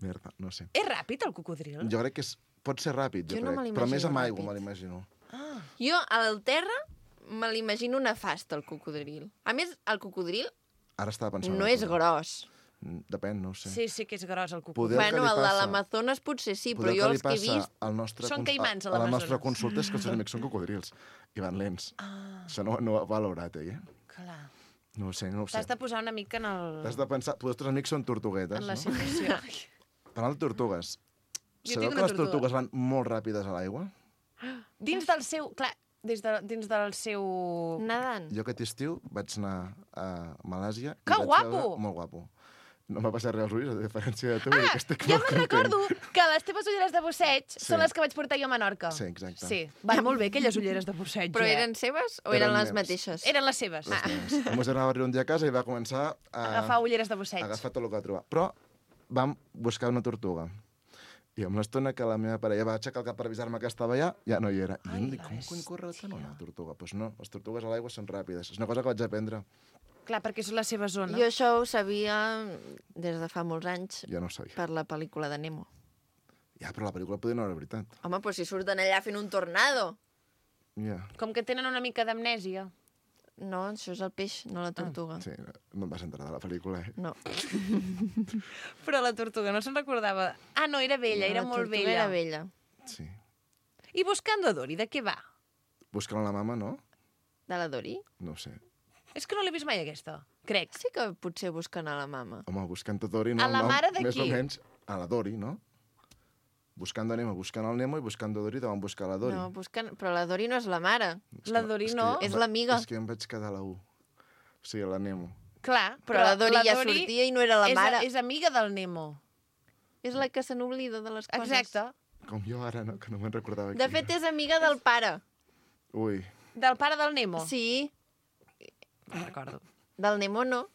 Merda, no sé. És ràpid, el cocodril? Jo crec que pot ser ràpid, Jo jo no crec. me Però més l'imagino amb aigua ràpid. me l'imagino. Jo, al terra, me l'imagino nefast, el cocodril. A més, el cocodril Ara estava pensant... no és gros. Depèn, no ho sé. Sí que és gros el cocodril. Poder Bueno, que li el de passa- l'Amazones potser sí, però Poder jo li els que he passa vist... al nostre Són cons- caimans, a a la l'Amazones. nostra consulta és que els seus amics són cocodrils i van lents. Això no ho ha valorat, eh? Clar. No ho sé, no ho sé. T'has de posar una mica en el... T'has de pensar... Els teus amics són tortuguetes, en la no? situació. Parlant de tortugues, Jo sabeu tinc que una les tortuga. tortugues van molt ràpides a l'aigua? Dins del seu... Clar, dins del seu... Nedant. Jo aquest estiu vaig anar a Malàsia... i Que vaig guapo! veure- Molt guapo. No m'ha passat res als ulls, a diferència de tu, que estic Jo molt me'n content. recordo que les teves ulleres de busseig són les que vaig portar jo a Menorca. Sí, exacte. Sí, van molt bé, aquelles ulleres de busseig. Però eren seves o eren Eren les meves. mateixes? Eren les seves. Les meves. El meu germà va arribar un dia a casa i va començar a Agafar ulleres de busseig. agafar tot el que va trobar. Però vam buscar una tortuga. I amb l'estona que la meva parella va aixecar el cap per avisar-me que estava allà, ja no hi era. I em dic, com cony corre tant una tortuga? Doncs pues no, les tortugues a l'aigua són ràpides. És una cosa que vaig aprendre. Clar, perquè és la seva zona. Jo això ho sabia des de fa molts anys Ja no ho sabia. per la pel·lícula de Nemo. Ja, però la pel·lícula podia no era veritat. Home, però si surten allà fent un tornado. Ja. Com que tenen una mica d'amnèsia. No, això és el peix, no la tortuga. Sí, no em vas entrar de la pel·lícula, eh? No, Però la tortuga no se'n recordava. Ah, no, era vella, era la molt tortuga vella. era vella. Sí. I Buscando a Dory, de què va? Buscant la mama, no? De la Dori? No ho sé. És que no l'he vist mai, aquesta. Crec. Sí que potser busquen a la mama. Home, buscant a Dory, no? A la el nom, mare de més qui? o menys a la Dory, no? Buscant a Nemo, buscant el Nemo i buscant a Dory te van buscar la Dory. No, busquen... Però la Dori no és la mare. És La que- Dory és no. que- És l'amiga. És que em vaig quedar a la U. O sigui, a la Nemo. Clar, Però la Dori ja sortia i no era la mare. És amiga del Nemo. És la que se n'oblida de les coses. Exacte. Com jo ara, no? Que no me'n recordava De fet, és amiga del pare. Ui. Del pare del Nemo. Sí, No recordo. del Nemo no.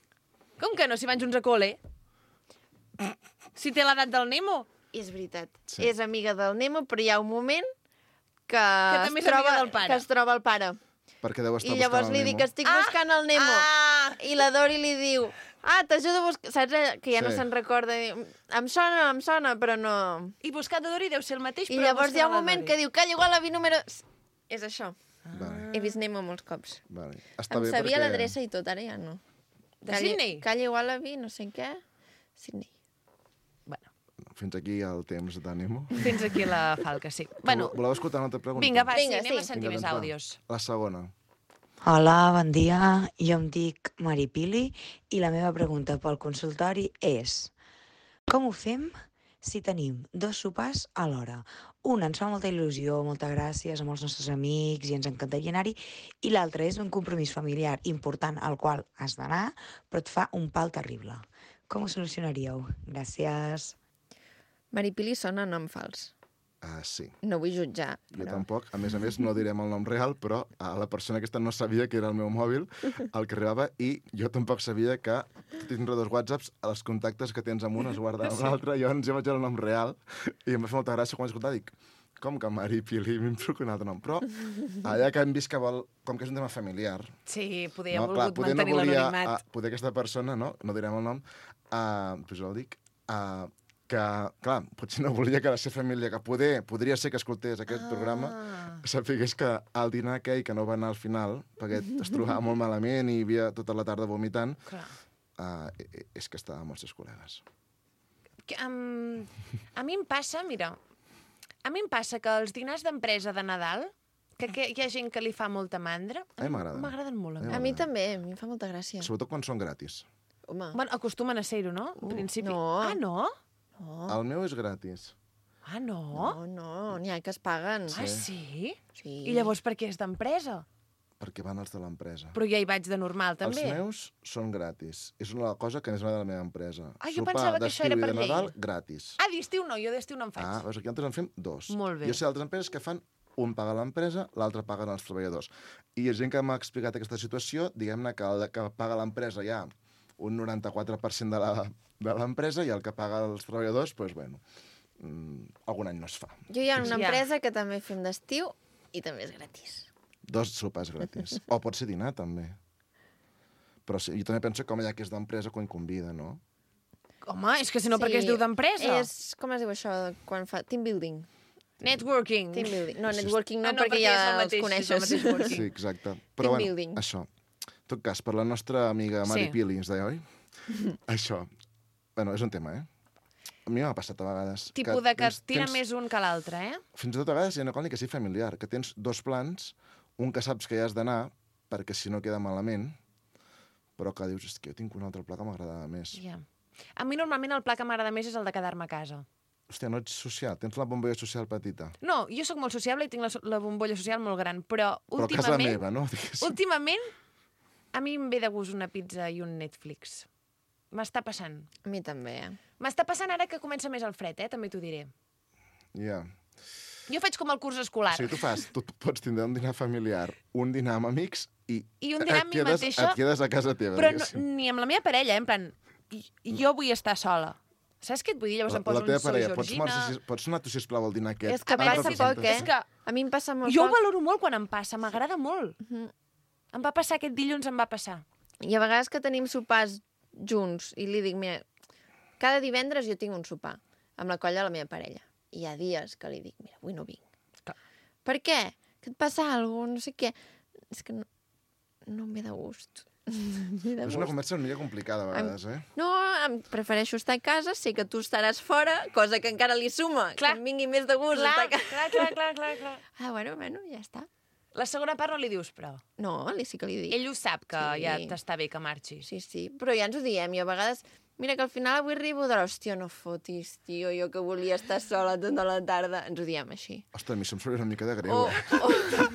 Com que no, si van junts a col·le? Si té l'edat del Nemo. És veritat. Sí. És amiga del Nemo, però hi ha un moment que, també és amiga del pare. que es troba el pare. Perquè deu estar I llavors buscant li el dic Nemo. que estic buscant el Nemo. Ah! I la Dori li diu, t'ajudo a buscar... Saps que ja no Sí. se'n recorda? Diu, em sona, però no... I Buscando a Dory deu ser el mateix, I però llavors hi ha un buscant la moment Dory. que diu, calla igual l'avi número... És això. Vale, He vist Nemo molts cops. vale. Està Em bé sabia perquè... l'adreça i tot, ara ja no. De Sydney? Calla igual l'avi, no sé què. Sydney. Bueno, Fins aquí el temps de Nemo. fins aquí la falca, sí. Bueno, Voleu escoltar una altra pregunta? vinga, va, Vinga, sí, anem sí. a sentir Vinga, més doncs va. àudios. La segona. Hola, bon dia. Jo em dic Maripili i la meva pregunta pel consultori és com ho fem si tenim dos sopars alhora? Un ens fa molta il·lusió, molta gràcia, amb els nostres amics i ens encantaria anar-hi, i l'altre és un compromís familiar important al qual has d'anar, però et fa un pal terrible. Com ho solucionaríeu? Gràcies. Maripili sona nom fals. Sí. No vull jutjar, Jo però... tampoc. A més, no direm el nom real, però la persona aquesta no sabia que era el meu mòbil el que arribava, i jo tampoc sabia que tindre dos whatsapps, els contactes que tens amb un es guarden amb l'altre. Llavors jo vaig veure el nom real i em va fer molta gràcia quan vaig escoltar. Dic, com que Maripili? M'hem trucat un altre nom. Però allà que hem vist que vol, com que és un tema familiar, Sí, poder ha no, clar, volgut poder no mantenir volia, l'anonimat. poder aquesta persona, no direm el nom, doncs jo el dic, que, clar, potser no volia que la seva família, que podria ser que escoltés aquest programa, sapigués que al dinar aquell que no va anar al final, perquè es trobava molt malament i hi havia tota la tarda vomitant, Clar. és que estava amb els seus col·legues. A mi em passa, mira, que els dinars d'empresa de Nadal, que hi ha gent que li fa molta mandra, A mi m'agraden. m'agraden molt. A mi també, a mi em fa molta gràcia. Sobretot quan són gratis. Home, Bueno, acostumen a ser-ho, no? En principi. no. Ah, no? El meu és gratis. Ah, no? no, n'hi ha que es paguen. Ah, sí? Sí. I llavors per què és d'empresa? Perquè van els de l'empresa. Però ja hi vaig de normal, també. Els meus són gratis. És una cosa que és una de la meva empresa. Ah, jo pensava que això era per Sopar d'estiu i de llei. Nadal, gratis. Ah, d'estiu no, jo d'estiu no en faig. Veus, aquí nosaltres en fem 2. Molt bé. Jo sé d'altres empreses que fan un paga l'empresa, l'altre paguen els treballadors. I hi ha gent que m'ha explicat aquesta situació, diguem-ne que el que paga l'empresa hi ha un 94% de l'empresa i el que paga els treballadors, doncs, bueno, algun any no es fa. Jo hi ha una Ja. empresa que també fem d'estiu i també és gratis. 2 sopars gratis. O pot ser dinar, també. Però sí, jo també penso que home, ja que és d'empresa, quan convida, no? Home, és que si no, per què es diu d'empresa? És, com es diu això, quan fa... Team building. Networking. Team building. No, networking no, Ah, no, perquè perquè ja és el els mateix, coneixes. és el mateix working. Sí, exacte. Team Però bueno, building. això. En tot cas, per la nostra amiga Mari Sí. Pili, ens deia, oi? Això. Bueno, és un tema, eh? A mi m'ha passat a vegades. Tipus de que tira més un que l'altre, eh? Fins i tot a vegades hi ha una cosa que sigui familiar, que tens 2 plans, un que saps que hi has d'anar, perquè si no queda malament, però que dius, és que jo tinc un altre pla que m'agradava més. Ja. A mi normalment el pla que m'agrada més és el de quedar-me a casa. Hòstia, no ets social, tens la bombolla social petita. No, jo sóc molt sociable i tinc la bombolla social molt gran, però Però a casa últimament... meva, no? Diguéssim. Últimament, a mi em ve de gust una pizza i un Netflix. M'està passant. A mi també, eh? M'està passant ara que comença més el fred, també t'ho diré. Ja. Jo faig com el curs escolar. O sigui, tu pots tindre un dinar familiar, un dinar amb amics i un dinar amb mi mateixa. et quedes a casa teva, Però no, diguéssim. ni amb la meva parella, en plan, jo vull estar sola. Saps què et vull dir? Llavors em poso La teva un soy parella, Georgina... pots anar tu, sisplau, al dinar aquest? És que A veure passa si poc, eh? És que A mi em passa molt jo ho poc. valoro molt quan em passa, m'agrada molt. Em va passar aquest dilluns, em va passar. I a vegades que tenim sopars junts i li dic, mira, cada divendres jo tinc un sopar amb la colla de la meva parella. I hi ha dies que li dic, mira, avui no vinc. Clar. Per què? Que et passa alguna cosa, no sé què. És que no em ve de gust. És una conversa una mica complicada, a vegades, eh? No, prefereixo estar a casa, sé que tu estaràs fora, cosa que encara li suma, Clar. que em vingui més de gust estar a casa. Clar. Ah, bueno, ja està. La segona part no li dius, però. No, sí que li dic. Ell ho sap, que Sí. ja t'està bé que marxis. Sí, però ja ens ho diem, i a vegades... Mira, que al final avui arribo de l'hòstia, no fotis, tio, jo que volia estar sola tota la tarda. Ens ho diem així. Ostres, a mi se'm surt una mica de greu, O, eh?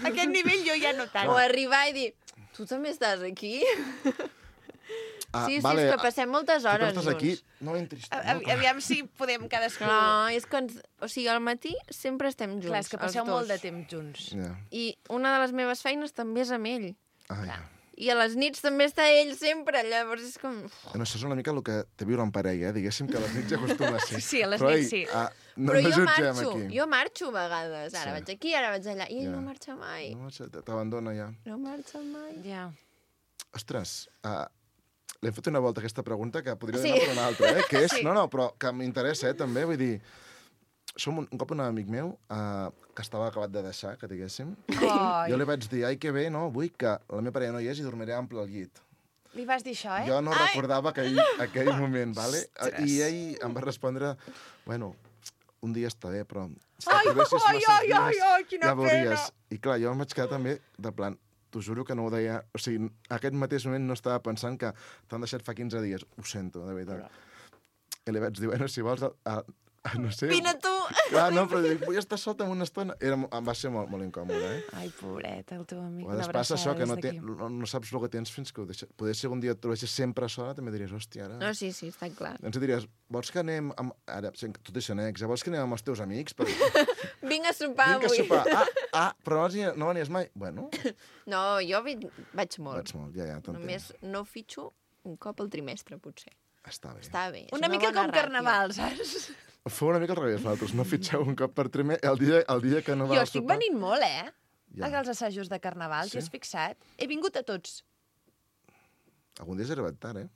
A aquest nivell jo ja no tant. o arribar i dir, tu també estàs aquí? Sí, és que passem moltes Tu que hores estàs aquí, junts. no entris. Aviam si podem cadascú... No, és que o sigui, al matí sempre estem junts, Clar, és que passeu els dos. molt de temps junts. Ja. I una de les meves feines també és amb ell. Ah, ja. I a les nits també està ell sempre, llavors és com... No, això és una mica el que té viure en parella, diguéssim que a les nits ja acostuma a ser. Sí, a les Però, nits ei, sí. No Però jo jutgem marxo, aquí. jo marxo a vegades. Ara Sí. vaig aquí, ara vaig allà. I ell Ja. no marxa mai. No, t'abandona ja. No marxa mai. Ja. Ostres, l'hem fet una volta aquesta pregunta que podria Sí. anar per una altra, eh? Que és, Sí. no, però que m'interessa, també, vull dir... Som un cop un amic meu que estava acabat de deixar, que diguéssim. Ai, Jo li vaig dir, ai, que bé, no? Vull que la meva parella no hi és i dormiré ample al llit. li vas dir això, eh? Jo no recordava aquell moment, vale? I ell em va respondre, bueno, un dia està bé, però si t'aprovessis massa dies, quina ja veuries. I clar, jo em vaig quedar també de plan, t'ho juro que no ho deia... O sigui, aquest mateix moment no estava pensant que t'han deixat fa 15 dies. Ho sento, de veritat. I li vaig dir, bueno, si vols... no sé... Vine tu! Clar, no, però dic, vull estar solta una estona. Em va ser molt, molt incòmode, eh? Ai, pobret, el teu amic. A vegades passa això, que no saps el que tens fins que ho deixes. Poder ser un dia et trobessis sempre sola, també diries, hòstia, ara... No, sí, està clar. Ens diries, vols que anem... Ara, tu deixes annex, vols que anem amb els teus amics? Vinc a sopar Vinc a avui. sopar. Però no venies mai? Bueno, No, jo vaig molt. vaig molt, ja, t'entenc. Només no fitxo un cop al trimestre, potser. Està bé. Està bé. és Una mica bona com ràtio. carnaval, saps? Fou una mica al revés, nosaltres. No fitxeu un cop per trimestre el dia que no va Jo al estic sopar. venint molt, eh? Ja. Als assajos de carnaval, Sí? t'hi has fixat? He vingut a tots. Algun dia has arribat tard, eh?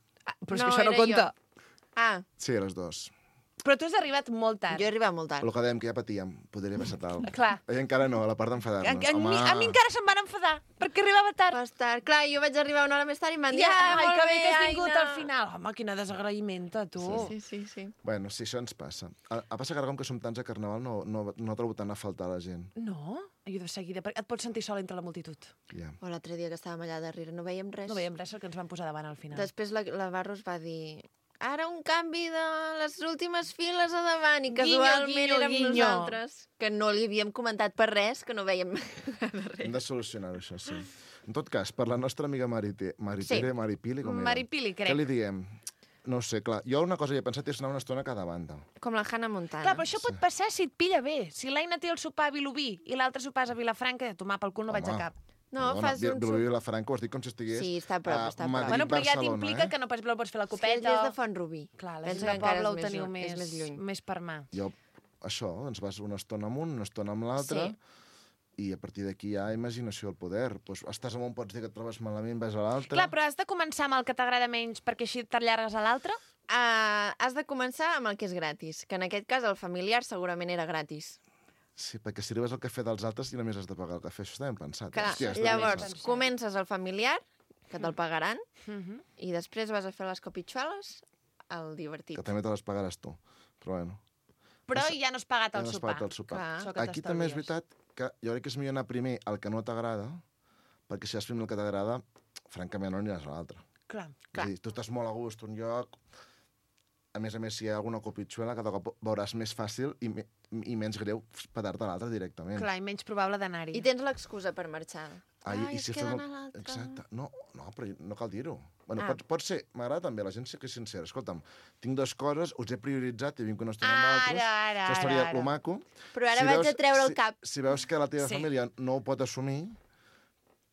Però és No, que això no era compta. Ah, Sí, a les 2. Però tu has arribat molt tard. jo he arribat molt tard. El que dèiem, que ja patíem. Podria passar tal. Clar. Ell encara no, a la part A d'enfadar-nos. mi encara se'm van enfadar, perquè arribava tard. Vas tard. Clar, jo vaig arribar una hora més tard i em van dir, Ai, molt que bé que has Aina. vingut al final. Home, quina desagraïmenta, tu. Sí. Bueno, sí, això ens passa. A passa que ara, com que som tants a Carnaval, no trobo tant a faltar la gent. No? Jo de seguida, perquè et pots sentir sola entre la multitud. Ja. O l'altre dia que estàvem allà darrere, no veiem res. No veiem res, el que ens van posar davant al final. Després la Barros va dir... Ara un canvi de les últimes files a davant i casualment Guinyo, érem guinyo. nosaltres, que no li havíem comentat per res, que no veiem Hem de solucionar-ho, això, sí. En tot cas, per la nostra amiga Maripili, com era? Maripili, crec. Què li diem? No ho sé, clar. Jo una cosa que he pensat és anar una estona a cada banda. Com la Hannah Montana. Clar, però això pot passar si et pilla bé. Si l'Aina té el sopar a Vilobí i l'altre sopar és a Vilafranca, tomar pel cul no vaig a cap. No, fas un Vilobí i la Franca, ho has dit com si estigués Sí, està a prop, està a prop. Madrid, Bueno, però ja Barcelona, t'implica que no pots fer la És que copeta. és de Font-rubí. Clar, la Pensa gent que de encara poble ho és teniu és més lluny. més per mà. Jo, això, doncs vas una estona amb un, una estona amb l'altre, i a partir d'aquí hi ha imaginació al poder. Pues, estàs amb un, pots dir que et trobes malament, vas a l'altre... Clar, però has de començar amb el que t'agrada menys perquè així t'allargues a l'altre? Has de començar amb el que és gratis, que en aquest cas el familiar segurament era gratis. Sí, perquè si arribes al cafè dels altres i només has de pagar el cafè. Això està ben pensat. Clar, Hòstia, està ben llavors, pensat. comences al familiar, que te'l pagaran, i després vas a fer les copitxoles al divertit. Que també te les pagaràs tu. Però bueno, Però ja no has pagat ja el no has sopar. pagat el sopar. Clar. Això que Aquí també és t'estalvies. veritat que jo crec que és millor anar primer al que no t'agrada, perquè si has primer el que t'agrada, francament no aniràs a l'altre. Clar. És a dir, tu estàs molt a gust un lloc, a més, si hi ha alguna copitxuela, cada cop veuràs més fàcil i menys greu petar-te a l'altre directament. Clar, i menys probable d'anar-hi. I tens l'excusa per marxar. I es si queden fem a l'altre. Exacte. No, però no cal dir-ho. Bueno, pot ser, m'agrada també, la gent sí que és sincera. Escolta'm, tinc dues coses, us he prioritzat i vinc una estona amb altres. Això seria lo maco. Però ara vaig a treure el cap. Si veus que la teva Sí. família no ho pot assumir,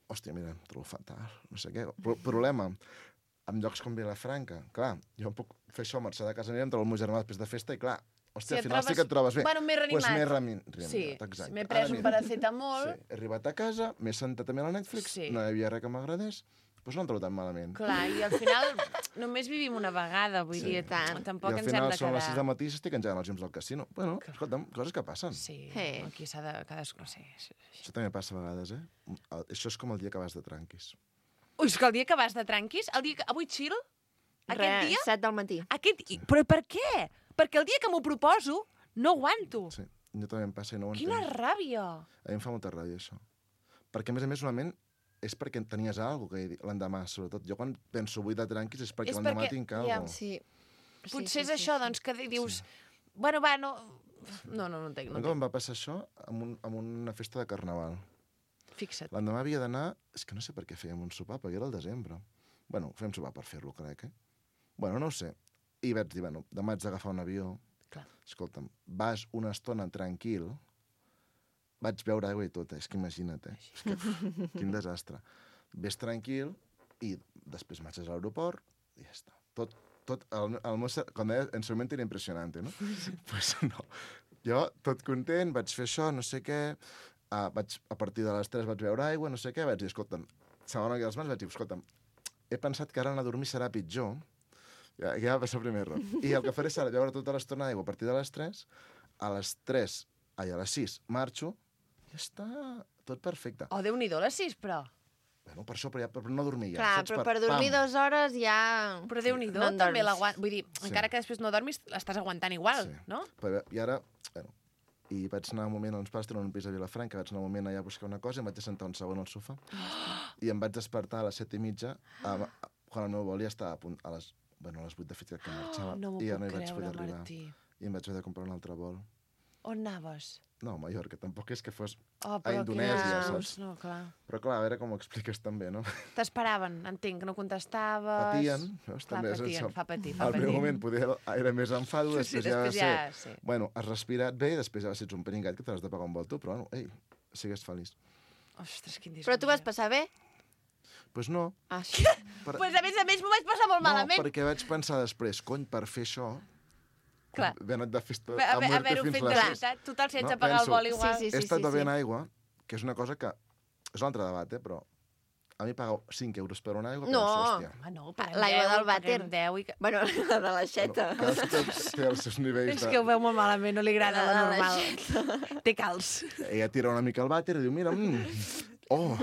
hòstia, mira, em trobo fatal, no sé què. Problema, en llocs com Vilafranca, clar, jo puc fer això, marxar de casa meva, em trobo el meu germà després de festa i, clar, hòstia, Si al final et sí que et trobes bé. Bueno, més reanimat. Pues més reanimat, Sí, exacte. m'he pres Ara un mira. paracetamol. Sí, he arribat a casa, m'he sentat també a la Netflix, Sí. no hi havia res que m'agradés, doncs no em trobo tan malament. Clar, i al final només vivim una vegada, vull dir, tampoc I al ens hem final de són les 6 quedar... del matí i s'estic engegant els llums del casino. Bueno, escolta'm, coses que passen. Sí, aquí s'ha de... Cadascú, no sé. Això també passa a vegades, eh? Això és com el dia que vas de tranquis. Ui, és que el dia que vas de tranquis, el dia que... Avui chill? Aquest dia? 7 del matí. Però per què? Perquè el dia que m'ho proposo no aguanto. Sí, jo també em passa i no ho entenc. Quina ràbia! A mi em fa molta ràbia, això. Perquè, a més, normalment, és perquè tenies alguna cosa l'endemà, sobretot. Jo quan penso avui de tranquis és perquè l'endemà tinc alguna cosa. Sí. Potser és això, doncs, que dius... Bueno, va, no... No entenc. No em va passar això amb una festa de Carnaval. Fixa't. L'endemà havia d'anar... És que no sé per què fèiem un sopar, perquè era el desembre. Bueno, fèiem sopar per fer-lo, crec, eh? Bueno, no ho sé. I vaig dir, bueno, demà haig d'agafar un avió. Clar. Escolta'm, vas una estona tranquil, vaig beure aigua i tot, és que imagina't, eh? És que, quin desastre. Ves tranquil i després marxes a l'aeroport i ja està. El meu... Com deia, en seu moment era impressionant, no? Pues no. Jo, tot content, vaig fer això, no sé què, a partir de les 3 vaig beure aigua, no sé què, vaig dir, escolta'm, segona que les mans vaig dir, escolta'm, he pensat que ara anar a dormir serà pitjor, ja va passar el primer error. I el que faré serà beure tota l'estona d'aigua a partir de les 3, a les 6 marxo, ja està, tot perfecte. Oh, Déu-n'hi-do, les 6, però. Bueno, per això, per no dormir ja. Clar, saps? però per dormir 2 hores ja... Però Déu-n'hi-do, No en també dorms. l'aguant... Vull dir, encara que després no dormis, l'estàs aguantant igual, no? I ara, bueno, i vaig anar un moment, els pares tenen un pis a Vilafranca, vaig anar un moment allà a buscar una cosa i em vaig sentar un segon al sofà. I em vaig despertar a les 7:30, quan el meu vol ja estava a punt, a les 8 de fet que marxava. No m'ho I ja no puc hi vaig poder creure, arribar. Martí. I em vaig haver de comprar un altre vol. On anaves? No, a Mallorca, tampoc és que fos Oh, a però Indonèsia, quina- saps? No, clar. Però clar, a veure com ho expliques també, no? T'esperaven, entenc, que no contestaves... Patien, veus? Clar, També és patien, això. fa patir, Al primer moment poder era més enfado, Sí, després ja va després ser... ja, sí. Bueno, has respirat bé i després ja va ser un peringat que t'has de pagar un vol tu, però bueno, ei, sigues feliç. Ostres, quin disgust. Però tu vas passar bé? Pues no. Ah, sí. Pues a més m'ho vaig passar molt malament. No, perquè vaig pensar després, cony, per fer això... Clar. Ben anat de festa a Haver-ho muerte fins fet de les 6. veritat. Total, si haig de pagar el vol igual. He estat bevent aigua, que és una cosa que... És un altre debat, però... A mi pagar 5 euros per una aigua, No. penso, hòstia. Ah, no, L'aigua del vàter. 10 i... Bueno, la de l'aixeta. Cadascú té els seus nivells És que ho veu molt malament, no li agrada la La normal. Té calç. Ella tira una mica el vàter i diu, mira, Oh!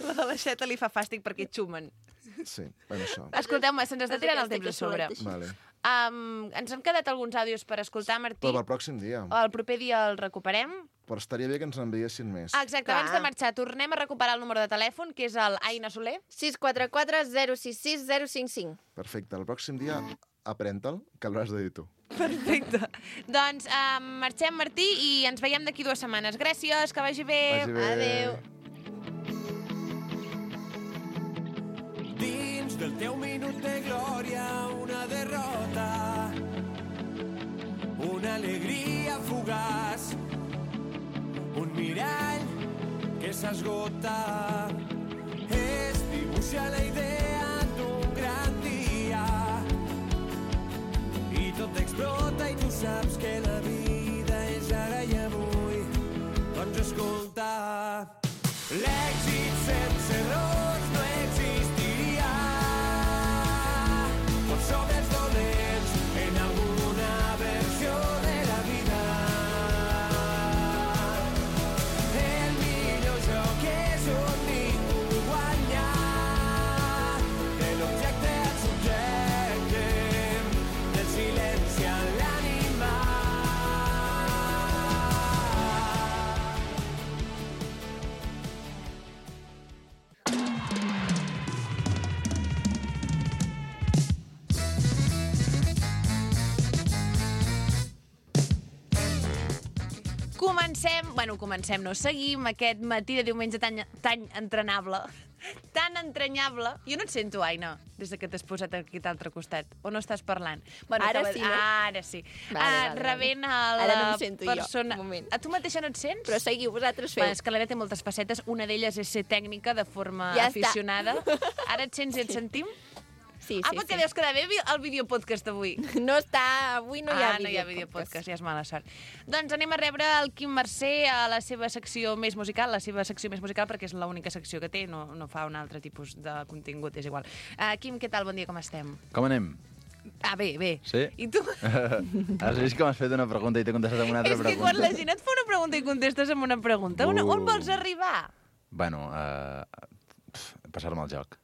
La de l'aixeta li fa fàstic perquè xumen. Sí, bueno, això. Escolteu-me, se'ns està tirant el temps a sobre. Vale. Ens han quedat alguns àudios per escoltar, Martí. Però pel pròxim dia. El proper dia el recuperem. Però estaria bé que ens n'enviessin més. Exacte, abans de marxar, tornem a recuperar el número de telèfon, que és el Aina Soler. 644 066 055. Perfecte, el pròxim dia aprèn-te'l, que l'hauràs de dir tu. Perfecte. Doncs marxem, Martí, i ens veiem d'aquí 2 setmanes. Gràcies, que vagi bé. Vagi bé. Adéu. Dins del teu minut de glòria, una derrota, una alegria fugaç, un mirall que s'esgota. Es dibuixa la idea d'un gran dia i tot explota i tu saps que la vida és ara i avui. Doncs escolta, l'èxit sense errors no existiria. Tots som els dolents en alguna versió de la vida. El millor joc és on ningú guanya, de l'objecte al subjecte, del silenci a l'animal. Comencem, no, seguim aquest matí de diumenge tan entrenable, tan entranyable. Jo no et sento, Aina, des que t'has posat aquí a l'altre costat. O no estàs parlant? Bueno, Ara sí, no? Ara sí. Vale. Rebent a Ara la no em sento persona... jo, un moment. A tu mateixa no et sents? Però seguiu, vosaltres feu. És que l'Aina té moltes facetes. Una d'elles és ser tècnica de forma Ja aficionada. Ara et sents i et sentim? Sí, perquè deus quedar bé el videopodcast avui. No està... Avui no hi ha no hi ha videopodcast, ja és mala sort. Doncs anem a rebre el Quim Mercè a la seva secció més musical, perquè és l'única secció que té, no fa un altre tipus de contingut, és igual. Quim, què tal? Bon dia, com estem? Com anem? Bé. Sí? I tu? Has vist que m'has fet una pregunta i t'he contestat amb una altra pregunta? És que quan la gent et fa una pregunta i contestes amb una pregunta, on vols arribar? Bueno, passar-me el joc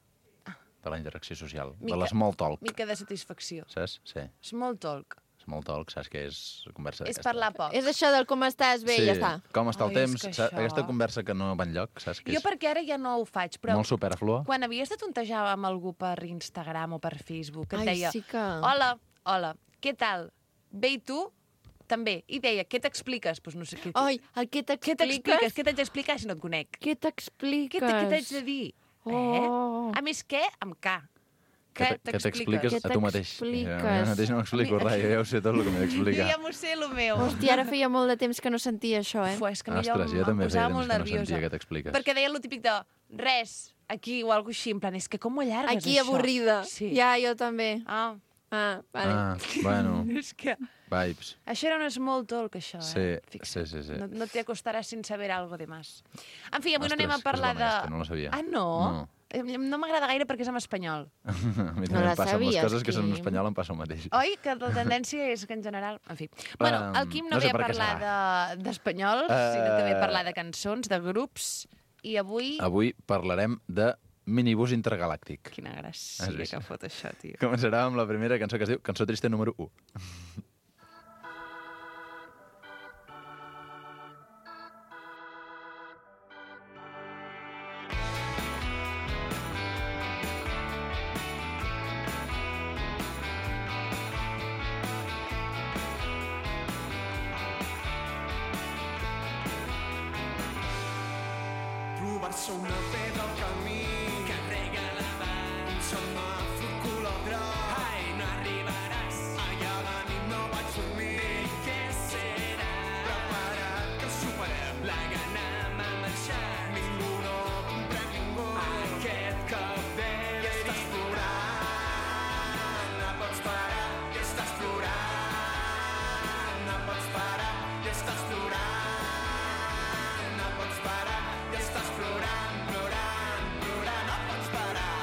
de la interacció social, de l'small talk. Mica de satisfacció. Saps? Sí. Small talk. Small talk, saps què és conversa d'aquesta? És parlar poc. És això del com estàs bé, sí. Ja està. Com està el temps, això... aquesta conversa que no va enlloc, saps? Que jo perquè ara ja no ho faig, però... Molt superflua. Quan havies de tontejar amb algú per Instagram o per Facebook, que et deia... Sí que... Hola, què tal? Bé, i tu? També. I deia, què t'expliques? Pues no sé què... Ai, el què t'expliques? Què t'haig d'explicar si no et conec? Què t'expliques? Què t'haig de dir? Oh. A més, què? Amb K. Què t'expliques a tu mateix? Jo mateix no m'explico res, jo ja ho sé tot el que m'he d'explicar. Jo ja m'ho sé, el meu. Hòstia, ara feia molt de temps que no sentia això, eh? És que ostres, jo també feia temps que no sentia què t'expliques. Perquè deia el típic de res, aquí o alguna així, en plan, és que com ho allargues, aquí això? avorrida. Sí. Ja, jo també. Vale. Bueno. És que... Vibes. Això era un small talk, això, Sí. No te acostaràs sin saber algo de más. En fi, avui no anem a parlar de... No la sabia. Ah, no? No m'agrada gaire perquè és en espanyol. A mi també em passa amb les coses que són en espanyol, em passa el mateix. Oi? Que la tendència és que en general... En fi. Bueno, el Quim no ve a parlar d'espanyol, sinó que ve a parlar de cançons, de grups, i avui... Avui parlarem de minibús intergalàctic. Quina gràcia que fot això, tio. Començarà amb la primera cançó que es diu Cançó trista número 1. Trobar-se una pedra al camí que rega l'avant, semàfor color groc. Ai, no arribaràs, allà a la nit no vaig dormir. Què serà? Prepara't que superem la gana m'ha marxat. Ningú no comprèn ningú. Aquest cop ve i estàs plorant. No pots parar i estàs plorant. No pots parar i estàs plorant. No pots parar i estàs plorant, plorant, plorant, no pots parar.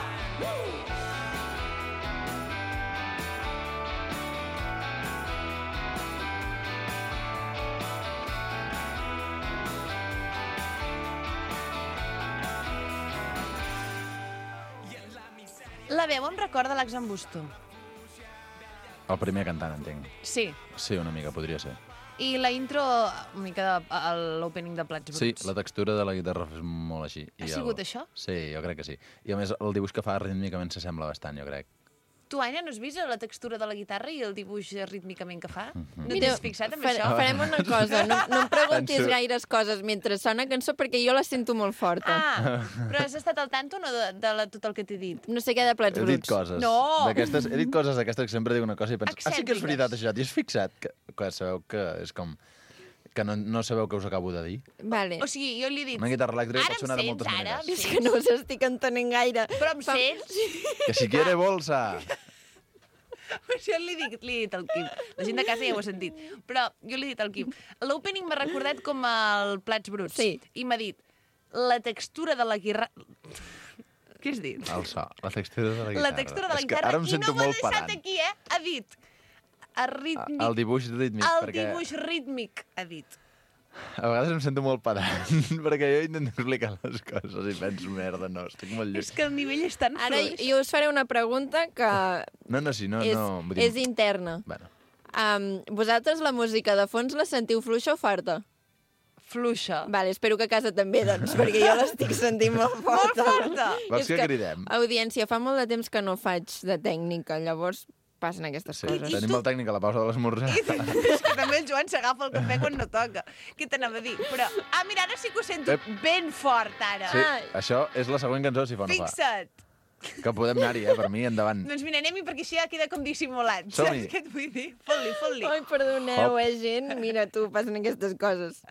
La veu em recorda l'Axambusto. El primer cantant, entenc. Sí. Sí, una mica, podria ser. I la intro, una mica l'opening de Plats Bruts. Sí, la textura de la guitarra és molt així. Ha sigut això? Sí, jo crec que sí. I a més, el dibuix que fa rítmicament s'assembla bastant, jo crec. Tu, Aina, no has vist la textura de la guitarra i el dibuix rítmicament que fa? No Mira, t'has fixat en això? Farem una cosa, no em preguntis Penso- gaires coses mentre sona cançó perquè jo la sento molt forta. Ah, però has estat al tanto no de tot el que t'he dit? No sé què de Plats He Bruts. dit coses. No! D'aquestes, he dit coses d'aquestes que sempre dic una cosa i penso, sí que és Excèntriques. veritat això. T'hi has fixat? Que sabeu que és com... Que no sabeu què us acabo de dir? Vale. O sigui, jo li he dit... Una guitarra elèctrica Ara pot sonar de em moltes sents, ara? maneres. És que no us estic entenent gaire. Però em sents? Que si quiere bolsa! Això li he dit al Quim. La gent de casa ja ho ha sentit. Però jo li he dit al Quim. L'opening m'ha recordat com el Plats Bruts. Sí. I m'ha dit, la textura de la guitarra... Què has dit? El so, la textura de la guitarra. La textura de la És que guitarra. ara em I sento no m'ho ha molt deixat pedant. aquí, Ha dit... El dibuix rítmic, El perquè dibuix rítmic, ha dit. a vegades em sento molt pedant, perquè jo intento explicar les coses i penso, merda, no, estic molt lluny. És que el nivell és tan Ara fluix. jo us faré una pregunta que No, sí, no, és, no. Vull dir... és interna. Bueno, Vosaltres la música de fons la sentiu fluixa o farta? Fluixa. Vale, espero que a casa també, doncs, perquè jo l'estic sentint molt forta. Molt forta. vols És que cridem? Audiència, fa molt de temps que no faig de tècnica, llavors passen aquestes Sí, coses. tenim el tècnic a la pausa de l'esmorzar. És que també el Joan s'agafa el cafè quan no toca. Què t'anava a dir? Però, mira, ara sí que ho sento ben fort, ara. Sí, això és la següent cançó, si fa o no fa. Fixa't. Que podem anar-hi, per mi, endavant. Doncs mira, anem-hi perquè així ja queda com dissimulat. Som-hi. Saps què et vull dir? Fot-li, fot-li. Ai, perdoneu, Hop. gent. Mira, tu, passen aquestes coses.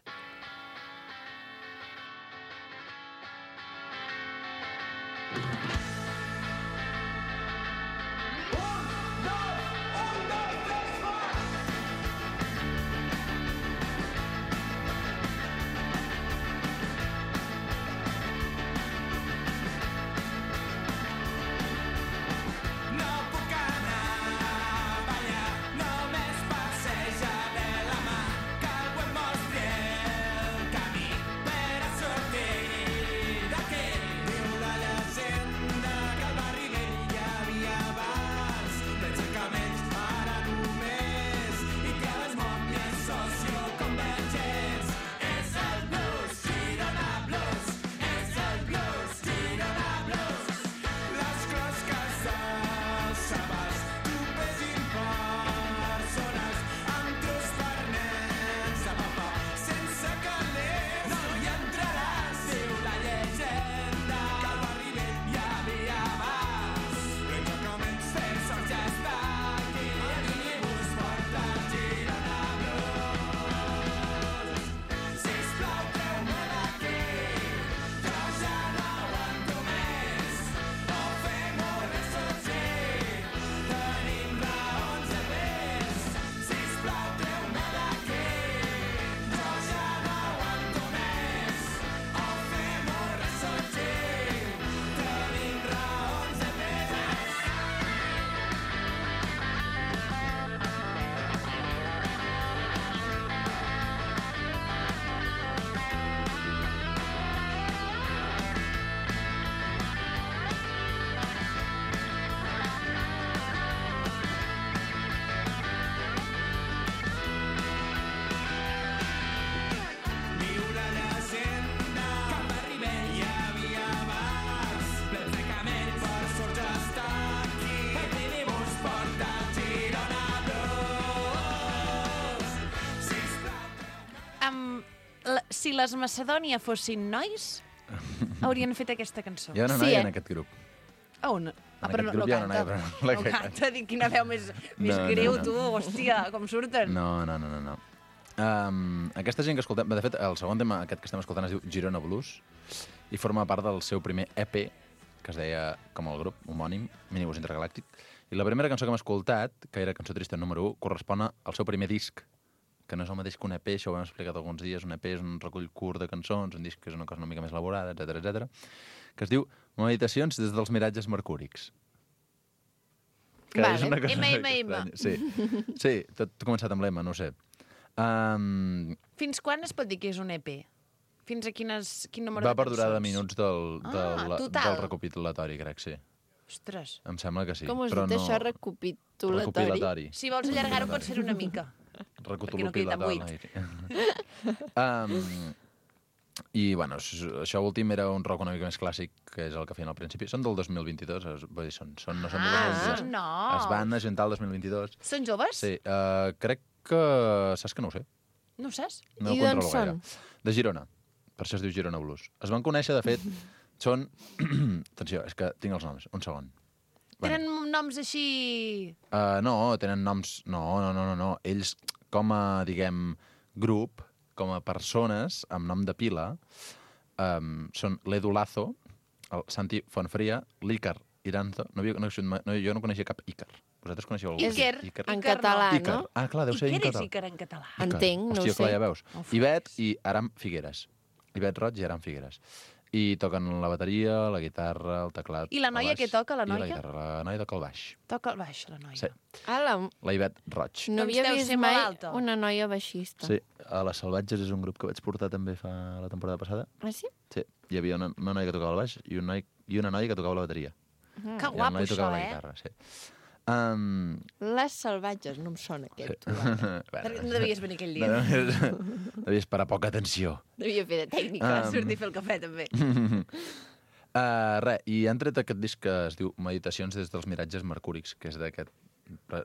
No puc anar a ballar, només passeja de la mà, que algú em mostri el camí per a sortir d'aquí. Diu la llegenda que al barri vell hi havia bars, d'encercaments ara només, i que les mòmies socioconvergents. És el blues, Girona Blues, és el blues, Girona Blues. Les closques dels sabats, tupes impersones, amb trus per nens de papa, sense calés no hi entraràs. Diu la llegenda que al barri vell hi havia bars, l'encrocaments de sort ja està aquí, el minibús porta el Girona Blues. Sisplau, treu-me d'aquí, que ja no aguanto més. O fem-ho ressorgir, tenim raons de més. Sisplau, treu-me d'aquí, jo ja no aguanto més. O fem-ho ressorgir, tenim raons de més. Diu la llegenda que al barri vell hi havia bars, plens de camells per sort ja està aquí. El minibús porta el Girona Blues. Sisplau. Si les Macedònia fossin nois, haurien fet aquesta cançó. Hi ha una noia en aquest grup. On? En aquest grup hi ha una noia, però no la No que canta, dic, quina veu més greu, tu, hòstia, com surten. No. Aquesta gent que escoltem... De fet, el segon tema aquest que estem escoltant es diu Girona Blues i forma part del seu primer EP, que es deia, com el grup, homònim, Minibús Intergalàctic. I la primera cançó que hem escoltat, que era Cançó Trista número 1, correspon al seu primer disc, que no és el mateix que un EP, això ho hem explicat alguns dies. Un EP és un recull curt de cançons, un disc és una cosa una mica més elaborada, etc, que es diu Meditacions des dels miratges mercúrics. Que Vale. és una cosa M. estranya. Sí, tot ha començat amb l'M, no ho sé. Fins quan es pot dir que és un EP? Fins a quin número Va de per durada de cançons? minuts del total. recopilatori, crec, sí. Ostres. Em sembla que sí. Com has però dit no... això, recopitulatori? Recopilatori. Si vols allargar-ho, pots fer una mica. Perquè no quedi tan buit. I, bueno, això últim era un rock una mica més clàssic, que és el que feien al principi. Són del 2022, vull dir, no són del 2022. No. Es van ajuntar el 2022. Són joves? Sí, crec que... Saps que no ho sé? No ho saps? No ho controlo gaire. De Girona. Per això es diu Girona Blues. Es van conèixer, de fet, són... Atenció, és que tinc els noms. Un segon. Tenen noms així... No, tenen noms... No. Ells, com a, diguem, grup, com a persones, amb nom de pila, són l'Edu Lazo, el Santi Fonfria, l'Ícar Iranzo... Jo no coneixia cap Ícar. Vosaltres coneixeu algú? Iker. En català, Ícar. no? Ah, clar, deu ser en Iker és català. Iker en català. Entenc, no ho Hòstia, clar, sé. ja veus. Ivet i Aram Figueres. Ivet Roig i Aram Figueres. I toquen la bateria, la guitarra, el teclat... I la noia què toca, la I la noia? guitarra. La noia toca el baix. Toca el baix, la noia. Sí. La Ivet Roig. no Doncs havia deu vist ser mai molt alta. una noia baixista. Sí, a Les Salvatges és un grup que vaig portar també fa la temporada passada. Ah, sí? Sí, hi havia una noia que tocava el baix i una noia que tocava la bateria. Que I la guapo, noia això, tocava la eh? guitarra, sí. Les salvatges, no em sona aquest. Perquè no devies venir aquell dia. Devies parar poca atenció. Devia fer de tècnica. Sortir a fer el cafè, també. Res, i han tret aquest disc que es diu Meditacions des dels miratges mercúrics, que és d'aquest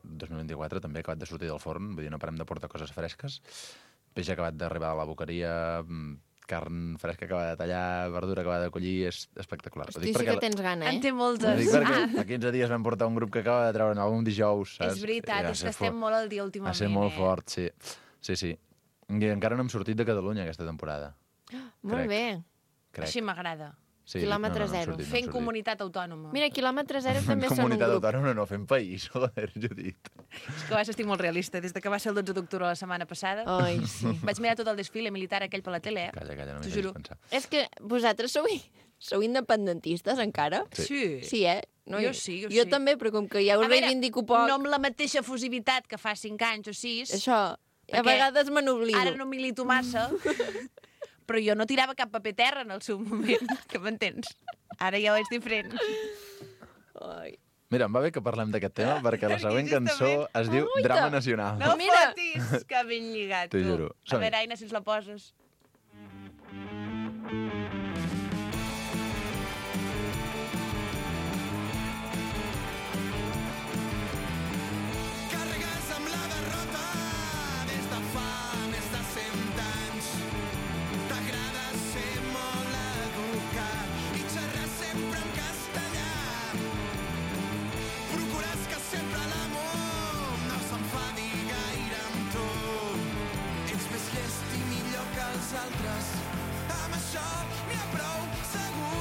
2024, també acabat de sortir del forn, vull dir, no parem de portar coses fresques. Peix acabat d'arribar a la boqueria, carn fresca acabada de tallar, verdura acabada de collir, és espectacular. Hosti, sí que tens gana, En eh? té Ho moltes. dic perquè fa 15 dies vam portar un grup que acaba de treure un dijous, saps? És veritat, és que estem molt al dia últimament. Va ser molt fort, sí. Sí. I encara no hem sortit de Catalunya aquesta temporada. Molt bé. Crec. Així m'agrada. Sí, Quilòmetre hem zero. sortit, Fent comunitat autònoma. Mira, quilòmetre zero també són un Comunitat grup. autònoma no fem país, joder, Judit. És que a vegades estic molt realista. Des que va ser el 12 d'octubre la setmana passada, Ai, sí. vaig mirar tot el desfile militar aquell per la tele, eh? Calla, no T'ho m'hi juro. facis pensar. És que vosaltres sou independentistes encara? Sí. Sí, eh? No, Jo sí. Jo també, però com que ja ho A veure, reivindico poc... no amb la mateixa efusivitat que fa 5 anys o 6. Això, a vegades me n'oblido. Ara no milito massa, però jo no tirava cap paper terra en el seu moment, que m'entens? Ara ja ho és diferent. Ai. Mira, em va bé que parlem d'aquest tema perquè la següent cançó es diu Uita. Drama Nacional. No Mira. fotis, que ben lligat, T'ho tu. juro. A Som-hi. veure, Aina, si ens la poses. Carregues amb la derrota des de fa més de 100 anys. T'agrada ser molt educat i xerrar sempre en castellà. Procures que sempre l'amor no s'enfadi gaire amb tu. Ets més llest i millor que els altres. Amb això n'hi ha prou segur.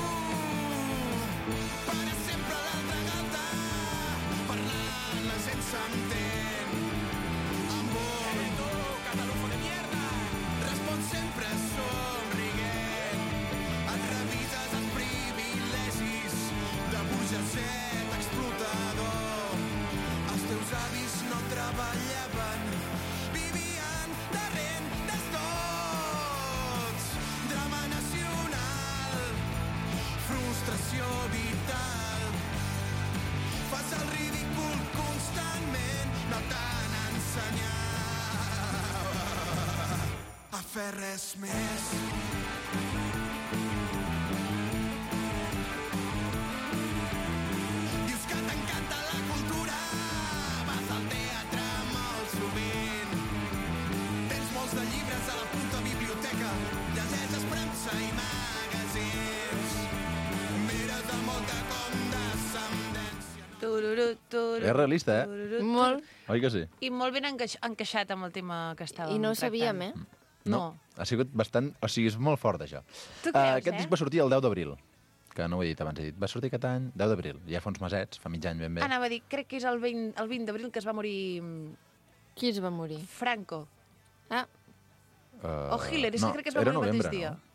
Per sempre a l'altra galta, parlant la gent s'entén. Amor, tu, catalufo de mierda, respon sempre somrient. Et revises els privilegis de burgeset explotador. Els teus avis no treballaven, vivien de rentes tots. Drama nacional, frustració vital. Fas el ridícul constantment, no t'han ensenyat a fer res més. Dius que t'encanta la cultura, vas al teatre molt sovint. Tens molts de llibres a la puta biblioteca, llegeixes premsa i magazins. Mires amb molta condescendència. Tururú, tururú, És realista, eh? tururú, Molt. Oi que sí? I molt ben encaixat amb el tema que estàvem I no ho tractant. sabíem, eh? No. Ha sigut bastant... O sigui, és molt fort, això. Tu creus, Aquest disc va sortir el 10 d'abril, que no ho he dit abans, he dit. Va sortir aquest any, 10 d'abril. Ja fa uns mesets, fa mig any ben bé. Anava a dir, crec que és el 20 d'abril que es va morir Qui es va morir? Franco. Ah, O Hitler, és que crec que es va era morir el novembre, mateix dia. no?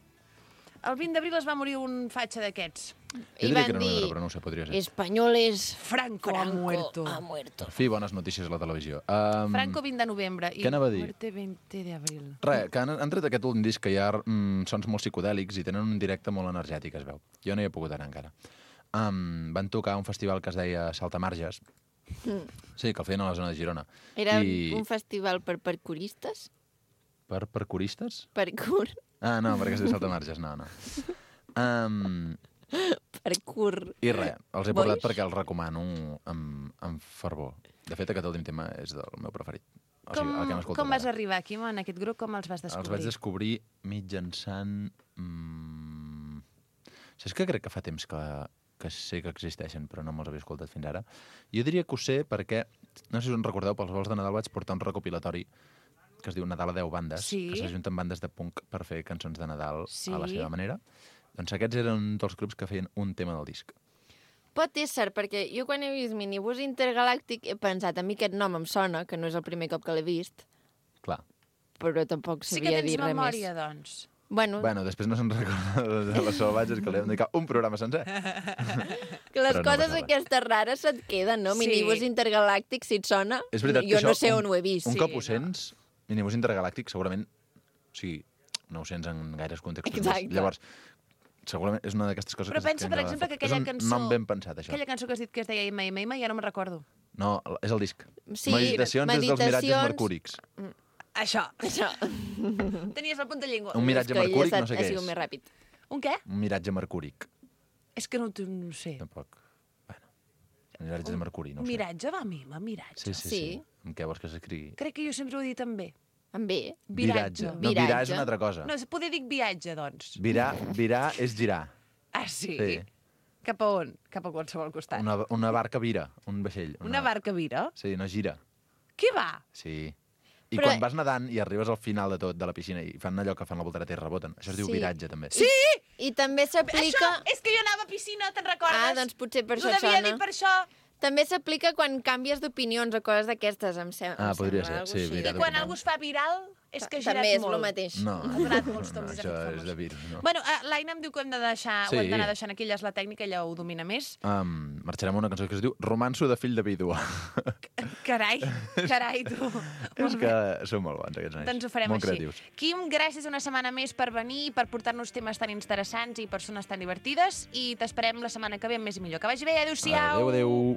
El 20 d'abril es va morir un fatxa d'aquests. Jo i diria van que era novembre, dir, però no ho sé, podria ser. españoles, Franco ha muerto. ha muerto. Per fi, bones notícies a la televisió. Franco 20 de novembre. I què anava a dir? Muerte 20 d'abril. Res, que han tret aquest últim disc que hi ha sons molt psicodèlics i tenen un directe molt energètic, es veu. Jo no hi he pogut anar encara. van tocar a un festival que es deia Saltamarges. Sí, que el feien a la zona de Girona. Era un festival per parkouristes? Per parkouristes? Parkour. Ah, no, perquè es diu Saltamarges, no. Parkour. I res, els he portat perquè els recomano amb fervor. De fet, aquest últim tema és del meu preferit. O sigui, el que hem escoltat Com vas ara. arribar aquí, en aquest grup? Com els vas descobrir? Els vaig descobrir mitjançant... Saps que crec que fa temps que sé que existeixen, però no me'ls havia escoltat fins ara? Jo diria que ho sé perquè, no sé si us en recordeu, pels vols de Nadal vaig portar un recopilatori que es diu Nadal a 10 bandes, que s'ajunten bandes de punk per fer cançons de Nadal a la seva manera. Doncs aquests eren un dels grups que feien un tema del disc. Pot ésser, perquè jo quan he vist Minibús Intergalàctic he pensat, a mi aquest nom em sona, que no és el primer cop que l'he vist. Clar. Però tampoc sabia dir res més. Sí que tens memòria, doncs. Bueno, després no se'n recorda de les salvatges, que li hem dedicat un programa sencer. que les coses aquestes rares se't queden, no? Minibús Intergalàctic, si et sona, jo no sé on ho he vist. Un cop ho sents, Minibús Intergalàctic, segurament, o sigui, no ho sents en gaires contextos. Exacte. Llavors, segurament és una d'aquestes coses però pensa, per exemple, que aquella cançó... És un nom ben pensat, això. Aquella cançó que has dit que es deia Ima, ja no me'n recordo. No, és el disc. Sí, Meditacions des dels miratges mercúrics. Això. Tenies la punta de llengua. Un miratge mercúric, no sé què és. Més ràpid. Un què? Un miratge mercúric. És que no ho sé. Tampoc. Bueno, miratge de mercuri, no ho sé. Miratge, va, Mima, miratge. Sí. Amb què vols que s'escrigui? Crec que jo sempre ho he dit amb B. Amb B? Viratge. No, virar és una altra cosa. No, poder dir viatge, doncs. Virar és girar. Ah, sí? Sí. Cap a on? Cap a qualsevol costat. Una barca vira, un vaixell. Una barca vira? Sí, no gira. Què va? Sí. I quan vas nedant i arribes al final de tot, de la piscina, i fan allò que fan la voltereta i reboten, això es diu viratge, també. Sí! I també s'aplica... Això, és que jo anava a piscina, te'n recordes? Ah, doncs potser per això et sona. Ho devia dir per això. També s'aplica quan canvies d'opinions o coses d'aquestes, em sembla. Podria ser, sí. I quan algú es fa viral, és que ha girat molt. També és el mateix. No, ha donat molts tocs. Això és de virus, no. Bueno, l'Aina em diu que ho hem d'anar deixant aquí, ella és la tècnica, ella ho domina més. Marxarem a una cançó que es diu Romanço de fill de vídua. Carai, tu. És que són molt bons, aquests nois. Doncs ho farem molt així. Creatius. Quim, gràcies una setmana més per venir, per portar-nos temes tan interessants i persones tan divertides, i t'esperem la setmana que ve amb més i millor. Que vagi bé, adéu-siau! Adéu.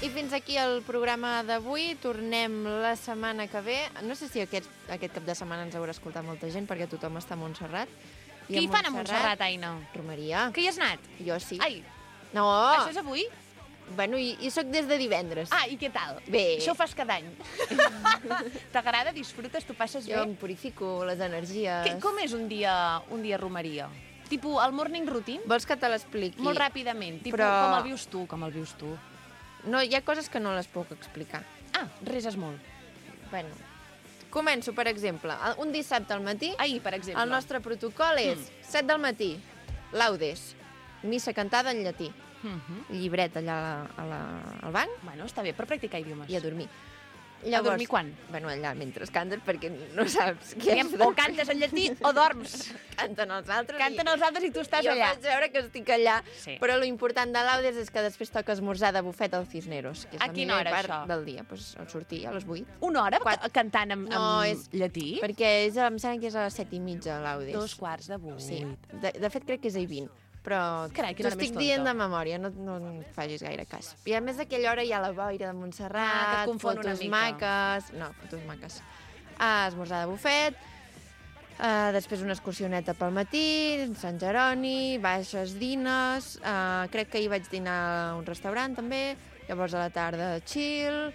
I fins aquí el programa d'avui. Tornem la setmana que ve. No sé si aquest cap de setmana ens haurà escoltat molta gent, perquè tothom està a Montserrat. Què hi fan a Montserrat, Aina? Romeria. Que hi has anat? Jo sí. Ai, no. Això és avui? Bueno, i soc des de divendres. Ah, i què tal? Bé. Això ho fas cada any. T'agrada? Disfrutes? T'ho passes bé? Jo em purifico les energies. Com és un dia a romeria? Tipo, el morning routine? Vols que te l'expliqui? Molt ràpidament. Tipo, Però... com el vius tu? No, hi ha coses que no les puc explicar. Ah, reses molt. Bueno, començo, per exemple, un dissabte al matí. Ahir, per exemple. El nostre protocol és 7 del matí, laudes, missa cantada en llatí, llibret allà al banc. Bueno, està bé, per practicar idiomes. I a dormir. Llavors, a dormir quan? Bueno, allà, mentre cantes, perquè no saps què has de O cantes en llatí o dorms. Canten els altres. Canten els altres i tu estàs allà. Jo faig veure que estic allà, sí. Però l'important de l'Audes és que després toca esmorzar de bufet al Cisneros, que és a la quina millor hora, part això? del dia. Pues, al sortir a les 8. Una hora cantant amb llatí? Perquè em sembla que és a les 7:30 l'Audes. 7:45. Sí. De fet, crec que és a 20. Però t'ho estic dient de memòria, no et facis gaire cas. I a més d'aquella hora hi ha la boira de Montserrat, fotos maques... No, fotos maques. Esmorzar de bufet, Després una excursioneta pel matí, Sant Jeroni, baixes dines, crec que ahir vaig dinar a un restaurant també, llavors a la tarda chill,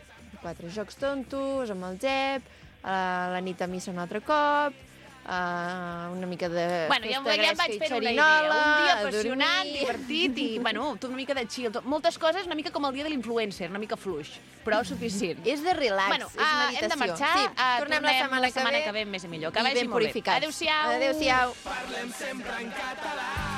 4 jocs tontos amb el Jep, a la nit a missa un altre cop, una mica de Bueno, ja em vaig fer una idea. Un dia apassionant, divertit i, bueno, tot una mica de chill. Moltes coses, una mica com el dia de l'influencer, una mica fluix, però suficient. És de relax, Bueno, és meditació. hem de marxar. Sí, tornem la setmana que ve més i millor. Que i vagi ben molt bé. purificats. Adéu-siau. Adéu-siau. Parlem sempre en català.